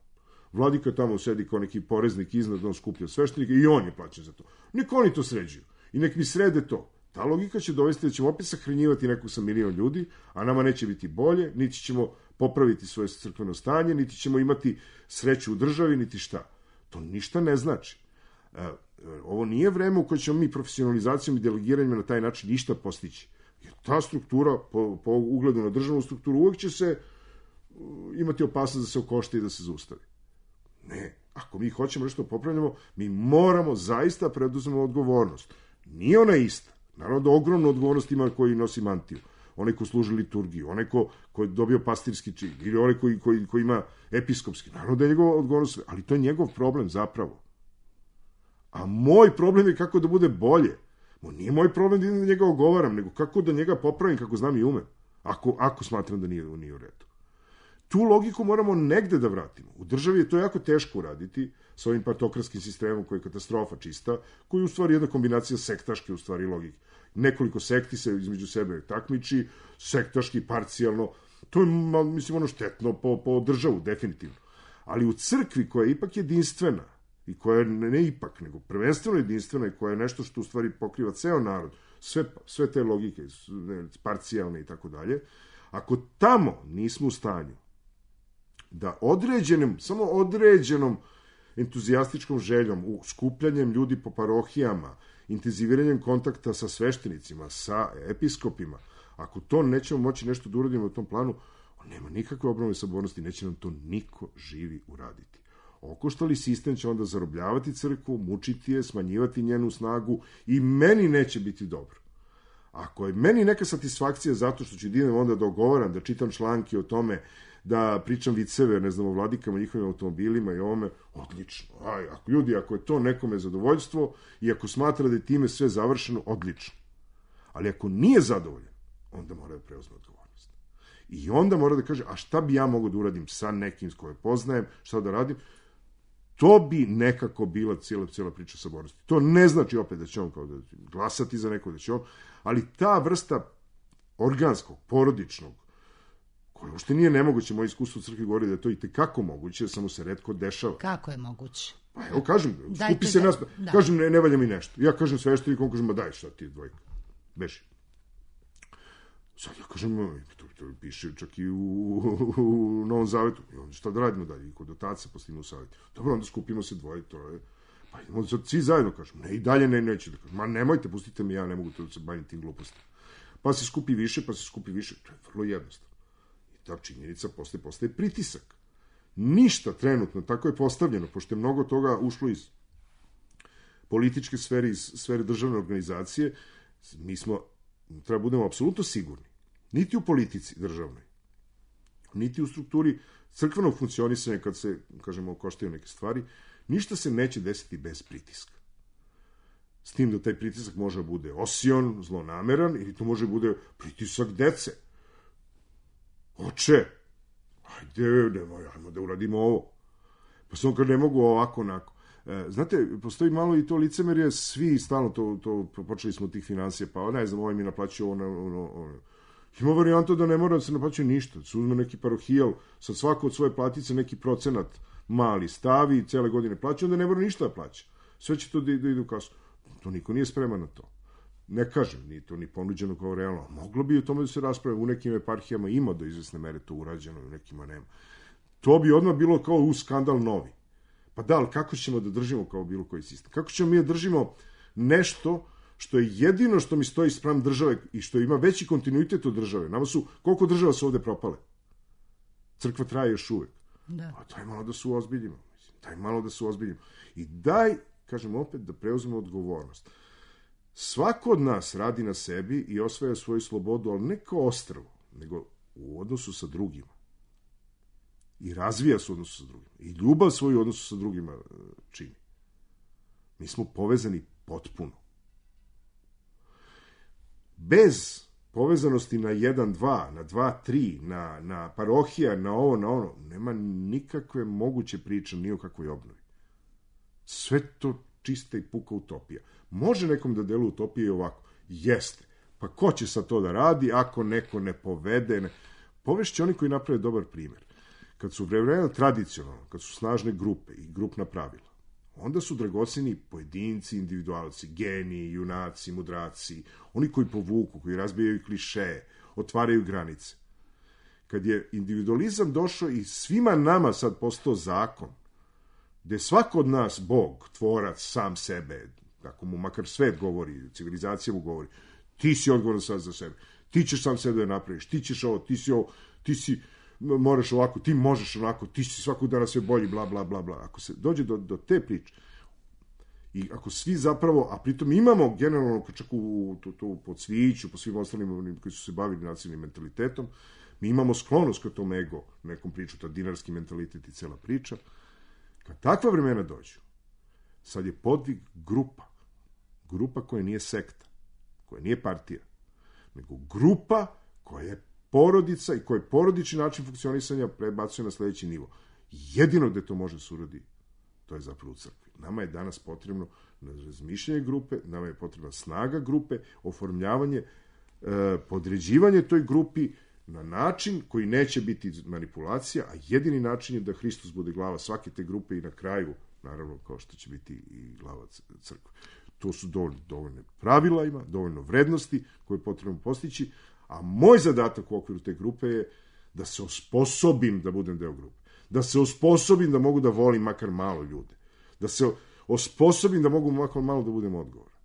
Vladika tamo sedi kao neki poreznik iznad, on skuplja sveštenika i on je plaćen za to. Nek oni to sređuju. I nek mi srede to. Ta logika će dovesti da ćemo opet sahranjivati nekog sa milion ljudi, a nama neće biti bolje, niti ćemo popraviti svoje crkveno stanje, niti ćemo imati sreću u državi, niti šta. To ništa ne znači. Ovo nije vreme u kojoj ćemo mi profesionalizacijom i delegiranjem na taj način ništa postići. Jer ta struktura, po, po ugledu na državnu strukturu, uvijek će se imati opasnost da se okošte i da se zaustavi. Ne. Ako mi hoćemo nešto popravljamo, mi moramo zaista preduzmemo odgovornost. Nije ona ista. Naravno da ogromnu odgovornost ima koji nosi mantiju. Onaj ko služi liturgiju, onaj ko, ko je dobio pastirski čin, ili onaj koji, koji, koji ima episkopski. Naravno da je njegova odgovornost, ali to je njegov problem zapravo. A moj problem je kako da bude bolje. Mo nije moj problem da njega ogovaram, nego kako da njega popravim, kako znam i umem. Ako, ako smatram da nije, nije u redu. tu logiku moramo negde da vratimo. U državi je to jako teško uraditi sa ovim partokratskim sistemom koji je katastrofa čista, koji je u stvari jedna kombinacija sektaške u stvari logike. Nekoliko sekti se između sebe takmiči, sektaški, parcijalno. To je, mislim, ono štetno po, po državu, definitivno. Ali u crkvi koja je ipak jedinstvena, i koja je ne ipak, nego prvenstveno jedinstvena i koja je nešto što u stvari pokriva ceo narod, sve, sve te logike, parcijalne i tako dalje, ako tamo nismo u stanju da određenim, samo određenom entuzijastičkom željom, u skupljanjem ljudi po parohijama, intenziviranjem kontakta sa sveštenicima, sa episkopima, ako to nećemo moći nešto da uradimo u tom planu, nema nikakve obnovne sabornosti, neće nam to niko živi uraditi. Okoštali sistem će onda zarobljavati crkvu, mučiti je, smanjivati njenu snagu i meni neće biti dobro. Ako je meni neka satisfakcija zato što ću idem onda da ogovaram, da čitam članke o tome, da pričam viceve, ne znam, o vladikama, njihovim automobilima i ovome, odlično. Aj, ako ljudi, ako je to nekome zadovoljstvo i ako smatra da je time sve završeno, odlično. Ali ako nije zadovoljan, onda mora da preuzme odgovornost. I onda mora da kaže, a šta bi ja mogo da uradim sa nekim s koje poznajem, šta da radim, to bi nekako bila cijela, cijela priča sabornosti. To ne znači opet da će on kao da glasati za neko, da će on, ali ta vrsta organskog, porodičnog, koje uopšte nije nemoguće, moje iskustvo u crkvi govori da je to i tekako moguće, samo se retko dešava. Kako je moguće? Pa evo, kažem, Dajte skupi se da, nas, da. kažem, ne, ne valja mi nešto. Ja kažem svešteniku, on kaže, ma daj šta ti je dvojka, beži. Sad ja kažem, to, to piše čak i u, u, u Novom Zavetu. I onda šta da radimo dalje? I kod otaca postavimo u Zavetu. Dobro, onda skupimo se dvoje, to je... Pa idemo sad svi zajedno, kažem. Ne, i dalje ne, neće da kažem. Ma nemojte, pustite mi, ja ne mogu to da se bavim tim glupostima. Pa se skupi više, pa se skupi više. To je vrlo jednostavno. I ta činjenica postaje, postaje pritisak. Ništa trenutno, tako je postavljeno, pošto je mnogo toga ušlo iz političke sfere, iz sfere državne organizacije, mi smo, treba budemo apsolutno sigurni, niti u politici državnoj, niti u strukturi crkvenog funkcionisanja, kad se, kažemo, koštaju neke stvari, ništa se neće desiti bez pritiska. S tim da taj pritisak može bude osion, zlonameran, ili to može bude pritisak dece. Oče, ajde, nemoj, ajmo da uradimo ovo. Pa sam kad ne mogu ovako, onako. E, znate, postoji malo i to licemerje, svi stalno to, to počeli smo od tih financija, pa ne znam, ovaj mi naplaćuje ono, ono, ono. Ima varijanta da ne mora da se naplaćuje ništa, da se uzme neki parohijal, sad svako od svoje platice neki procenat mali stavi i cele godine plaća, onda ne mora ništa da plaća. Sve će to da, da ide u kasu. To niko nije spreman na to. Ne kažem, nije to ni ponuđeno kao realno. Moglo bi o tome da se rasprave. U nekim eparhijama ima do izvesne mere to urađeno, u nekima nema. To bi odmah bilo kao u skandal novi. Pa da, ali kako ćemo da držimo kao bilo koji sistem? Kako ćemo mi da držimo nešto što je jedino što mi stoji spram države i što ima veći kontinuitet od države? Nama su, koliko država su ovde propale? Crkva traje još uvek. Da. Pa daj malo da se uozbiljimo. Daj malo da se uozbiljimo. I daj, kažem opet, da preuzmemo odgovornost. Svako od nas radi na sebi i osvaja svoju slobodu, ali ne kao ostrvo, nego u odnosu sa drugima. I razvija se u odnosu sa drugima. I ljubav svoju odnosu sa drugima čini. Mi smo povezani potpuno. Bez povezanosti na jedan, dva, na dva, tri, na, na parohija, na ovo, na ono, nema nikakve moguće priče ni o kakvoj obnovi. Sve to čista i puka utopija. Može nekom da deluje utopija i ovako. Jeste. Pa ko će sad to da radi ako neko ne povede? Ne... Povešće oni koji naprave dobar primjer. Kad su vremena tradicionalno, kad su snažne grupe i grupna pravila, onda su dragoceni pojedinci, individualci, geniji, junaci, mudraci, oni koji povuku, koji razbijaju klišeje, otvaraju granice. Kad je individualizam došao i svima nama sad postao zakon, gde svako od nas, Bog, tvorac, sam sebe, tako mu makar svet govori, civilizacija mu govori, ti si odgovoran sad za sebe, ti ćeš sam sebe da napraviš, ti ćeš ovo, ti si ovo, ti si, moraš ovako, ti možeš onako, ti si svakog dana sve bolji, bla, bla, bla, bla. Ako se dođe do, do te priče, i ako svi zapravo, a pritom imamo generalno, čak u, tu, tu, po cviću, po svim ostalim koji su se bavili nacionalnim mentalitetom, mi imamo sklonost ka tom ego, nekom priču, ta dinarski mentalitet i cela priča. Kad takva vremena dođu, sad je podvig grupa, grupa koja nije sekta, koja nije partija, nego grupa koja je porodica i koji porodični način funkcionisanja prebacuje na sledeći nivo. Jedino gde to može se uradi, to je zapravo u crkvi. Nama je danas potrebno razmišljanje grupe, nama je potrebna snaga grupe, oformljavanje, e, podređivanje toj grupi na način koji neće biti manipulacija, a jedini način je da Hristos bude glava svake te grupe i na kraju, naravno, kao što će biti i glava crkve. To su dovoljno, dovoljno pravila ima, dovoljno vrednosti koje je potrebno postići, a moj zadatak u okviru te grupe je da se osposobim da budem deo grupe. Da se osposobim da mogu da volim makar malo ljude. Da se osposobim da mogu makar malo da budem odgovoran.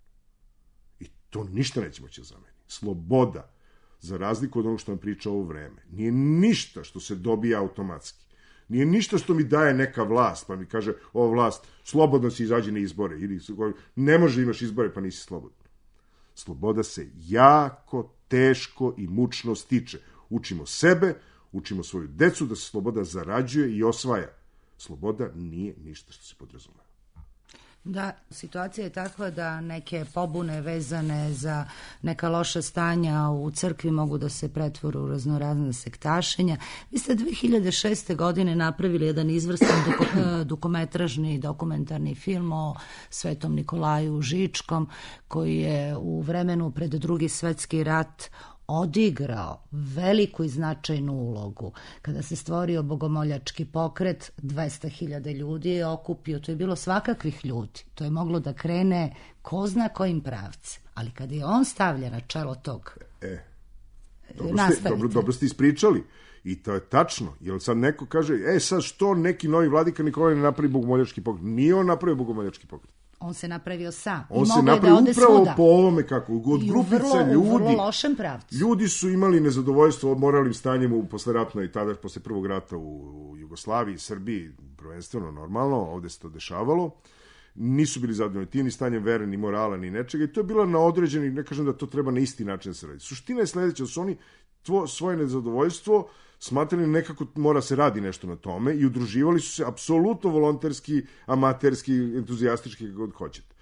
I to ništa neće moći za meni. Sloboda, za razliku od onog što vam priča ovo vreme, nije ništa što se dobija automatski. Nije ništa što mi daje neka vlast, pa mi kaže, ova vlast, slobodno si izađi na izbore. Ili ne može imaš izbore, pa nisi slobodan. Sloboda se jako teško i mučno stiče. Učimo sebe, učimo svoju decu da se sloboda zarađuje i osvaja. Sloboda nije ništa što se podrazumeva. Da, situacija je takva da neke pobune vezane za neka loša stanja u crkvi mogu da se pretvore u raznorazna sektašenja. Vi ste dve hiljade šeste. godine napravili jedan izvrstan dugometražni dokumentarni film o Svetom Nikolaju Žičkom, koji je u vremenu pred Drugi svetski rat odigrao veliku i značajnu ulogu. Kada se stvorio bogomoljački pokret, dvesta hiljada ljudi je okupio, to je bilo svakakvih ljudi, to je moglo da krene ko zna kojim pravcem, ali kada je on stavlja na čelo tog, e, dobro, ste, dobro, dobro ste ispričali i to je tačno, jer sad neko kaže, e sad što neki novi vladika Nikolaj ne napravi bogomoljački pokret? Nije on napravio bogomoljački pokret. On se napravio sam. On se napravio da upravo svuda. Po ovome kako, od I grupica vrlo, ljudi. U vrlo lošem pravcu. Ljudi su imali nezadovoljstvo moralnim stanjem u posleratnoj, tada posle prvog rata u, u Jugoslaviji, Srbiji, prvenstveno normalno, ovde se to dešavalo. Nisu bili zadovoljni tim ni stanjem vere, ni morala, ni nečega. I to je bilo na određeni, ne kažem da to treba na isti način da se radi. Suština je sledeća, da su oni tvo, svoje nezadovoljstvo smatrali nekako mora se radi nešto na tome i udruživali su se apsolutno volonterski, amaterski, entuzijastički, kako god hoćete.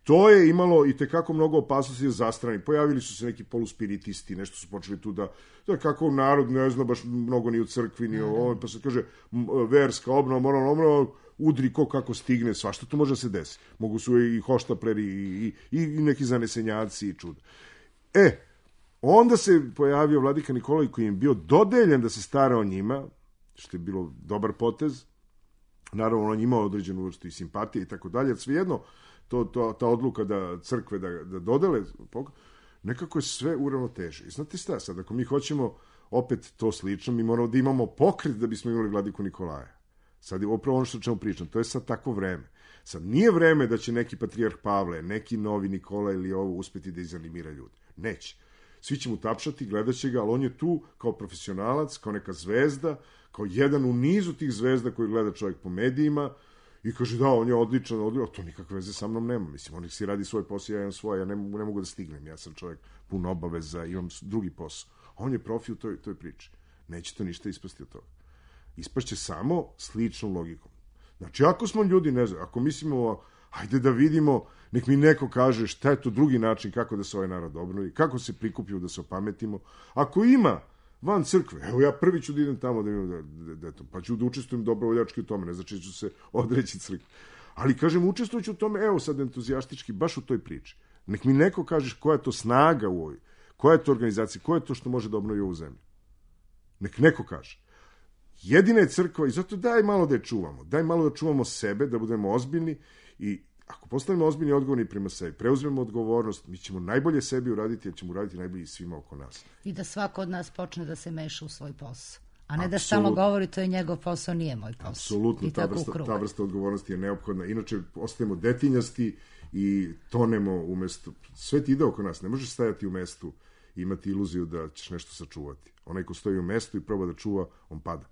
To je imalo i tekako mnogo opasnosti za strani. Pojavili su se neki poluspiritisti, nešto su počeli tu da, da kako narod ne zna baš mnogo ni u crkvi, ni o ovome, pa se kaže verska obnova, moralna obnova, udri ko kako stigne, svašta to može da se desi. Mogu su i hoštapleri i, i, i neki zanesenjaci i čuda. E, onda se pojavio vladika Nikolaj koji je bio dodeljen da se stara o njima, što je bilo dobar potez. Naravno, on imao određenu vrstu i simpatije i tako dalje, svejedno, to, to, ta odluka da crkve da, da dodele, nekako je sve uravnoteže. I znate šta, sad, ako mi hoćemo opet to slično, mi moramo da imamo pokret da bismo imali vladiku Nikolaja. Sad je upravo ono što ćemo pričati, to je sad takvo vreme. Sad nije vreme da će neki patrijarh Pavle, neki novi Nikola ili ovo uspeti da izanimira ljude. Neće. Svi će mu tapšati, gledat će ga, ali on je tu kao profesionalac, kao neka zvezda, kao jedan u nizu tih zvezda koji gleda čovjek po medijima i kaže da, on je odličan, odličan, to nikakve veze sa mnom nema. Mislim, on si radi svoj posao, ja imam svoj, ja ne, ne mogu da stignem, ja sam čovjek pun obaveza, imam drugi posao. A on je profi u toj, toj priči. Neće to ništa ispasti od toga. Ispašće samo sličnom logikom. Znači, ako smo ljudi, ne znam, ako mislimo, ajde da vidimo, nek mi neko kaže šta je to drugi način kako da se ovaj narod obnovi, kako se prikupio da se opametimo. Ako ima van crkve, evo ja prvi ću da idem tamo da imam, da, da, da, pa ću da učestvujem dobrovoljački u tome, ne znači ću se odreći crkve. Ali kažem, učestvujući u tome, evo sad entuzijastički, baš u toj priči. Nek mi neko kaže koja je to snaga u ovoj, koja je to organizacija, koja je to što može da obnovi ovu zemlju. Nek neko kaže. Jedina je crkva i zato daj malo da je čuvamo. Daj malo da čuvamo sebe, da budemo ozbiljni i ako postanemo ozbiljni i odgovorni prema sebi, preuzmemo odgovornost, mi ćemo najbolje sebi uraditi, jer ćemo uraditi najbolje i svima oko nas. I da svako od nas počne da se meša u svoj posao. A ne da stalno govori to je njegov posao, nije moj posao. Apsolutno, ta vrsta, ta vrsta odgovornosti je neophodna. Inače, ostajemo detinjasti i tonemo umesto. Svet ide oko nas, ne možeš stajati u mestu i imati iluziju da ćeš nešto sačuvati. Onaj ko stoji u mestu i proba da čuva, on pada.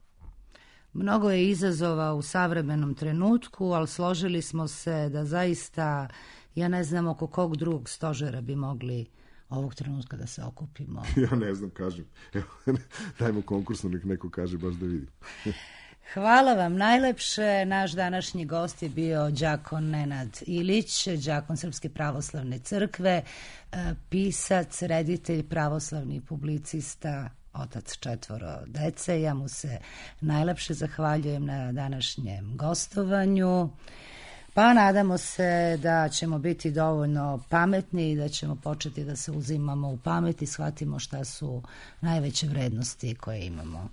Mnogo je izazova u savremenom trenutku, ali složili smo se da zaista, ja ne znam oko kog drugog stožera bi mogli ovog trenutka da se okupimo. Ja ne znam, kažem. Evo, dajmo konkursno, nek neko kaže baš da vidim. Hvala vam najlepše. Naš današnji gost je bio đakon Nenad Ilić, đakon Srpske pravoslavne crkve, pisac, reditelj, pravoslavni publicista, otac četvoro dece. Ja mu se najlepše zahvaljujem na današnjem gostovanju. Pa nadamo se da ćemo biti dovoljno pametni i da ćemo početi da se uzimamo u pamet i shvatimo šta su najveće vrednosti koje imamo.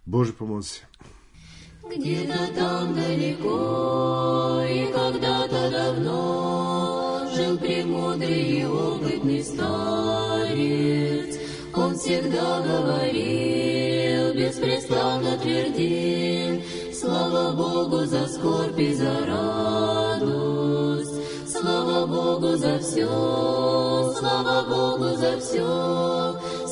Bože pomozi. Где-то там далеко и когда-то давно жил премудрый и опытный старец. Он всегда говорил, беспрестанно твердил: слава Богу за скорбь и за радость, слава Богу за все, слава Богу за все,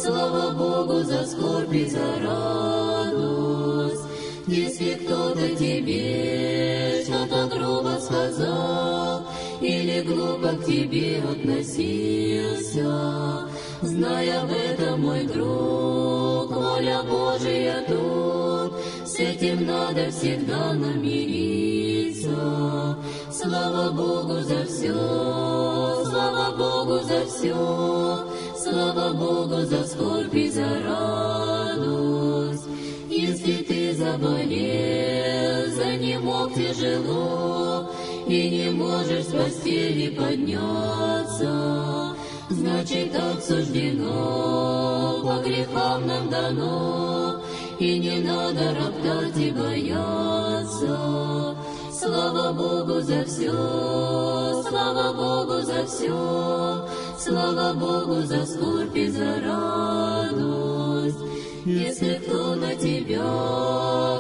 слава Богу за скорбь и за радость. Если кто-то тебе что-то грубо сказал или глупо к тебе относился, знай об этом, мой друг, воля Божия тут, с этим надо всегда намириться. Слава Богу за все, слава Богу за все, слава Богу за скорбь и за радость. Если ты заболел, занемог тяжело и не можешь с постели подняться, значит, так суждено, по грехам нам дано, и не надо роптать и бояться. Слава Богу за все, слава Богу за все, слава Богу за скорбь и за радость. Если кто на тебя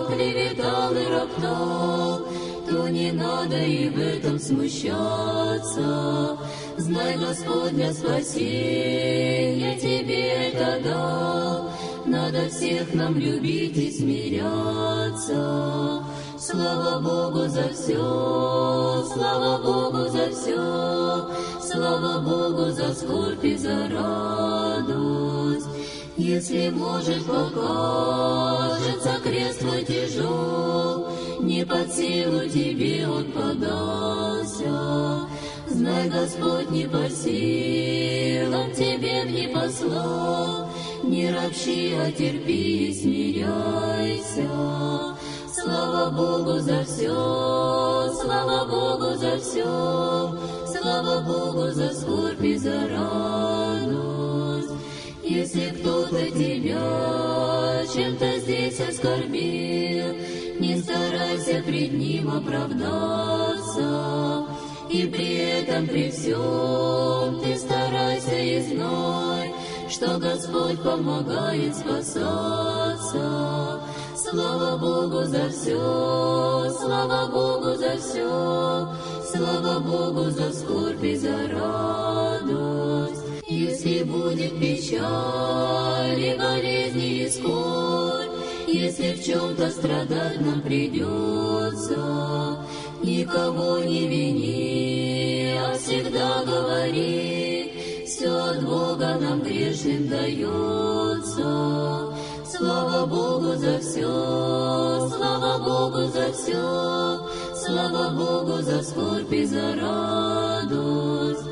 клеветал и роптал, то не надо и в этом смущаться. Знай, Господь для спасения тебе это дал. Надо всех нам любить и смиряться. Слава Богу за все, слава Богу за все, слава Богу за скорбь и за радость. Если, может, покажется крест твой тяжел, не под силу тебе он подался, знай, Господь не по силам тебе не послал, не ропщи, а терпи и смиряйся. Слава Богу за все, слава Богу за все, слава Богу за скорбь и за радость. Если кто-то тебя чем-то здесь оскорбил, не старайся пред ним оправдаться, и при этом при всем ты старайся и знай, что Господь помогает спасаться. Слава Богу за все, слава Богу за все, слава Богу за скорбь и за радость. Если будет печаль и болезни и скорбь, если в чем-то страдать нам придется, никого не вини, а всегда говори, все от Бога нам грешным дается. Слава Богу за все, слава Богу за все, слава Богу за скорбь и за радость.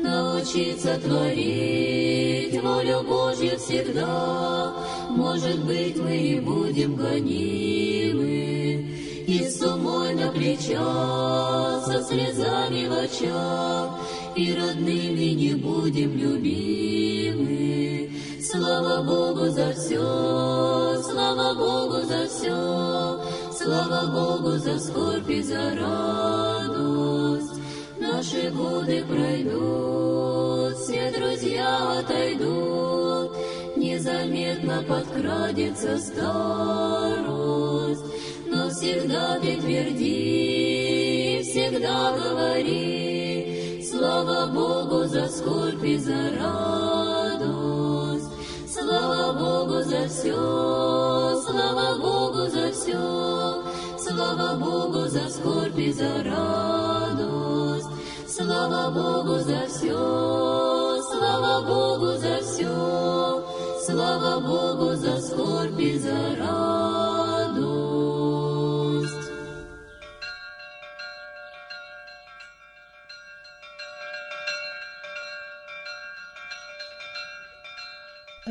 Научиться творить волю Божью всегда, может быть, мы и будем гонимы, и с умой на плечах, со слезами в очах, и родными не будем любимы. Слава Богу за все, слава Богу за все, слава Богу за скорбь и за радость. Наши годы пройдут, все друзья отойдут, незаметно подкрадется старость. Но всегда ты тверди, всегда говори, слава Богу за скорбь и за радость. Слава Богу за все, слава Богу за все, слава Богу за скорбь и за радость. Слава Богу за все, слава Богу за все, слава Богу за скорбь и за радость.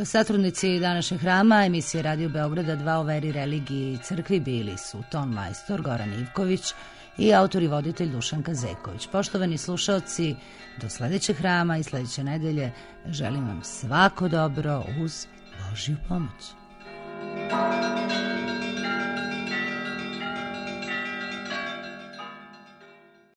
Satrudnici današnjeg hrama emisije Radio Beograda dva o veri, religiji i crkvi bili su ton majstor Goran Ivković i autor i voditelj Dušan Kazeković. Poštovani slušaoci, do sledećeg hrama i sledeće nedelje želim vam svako dobro uz Božju pomoć.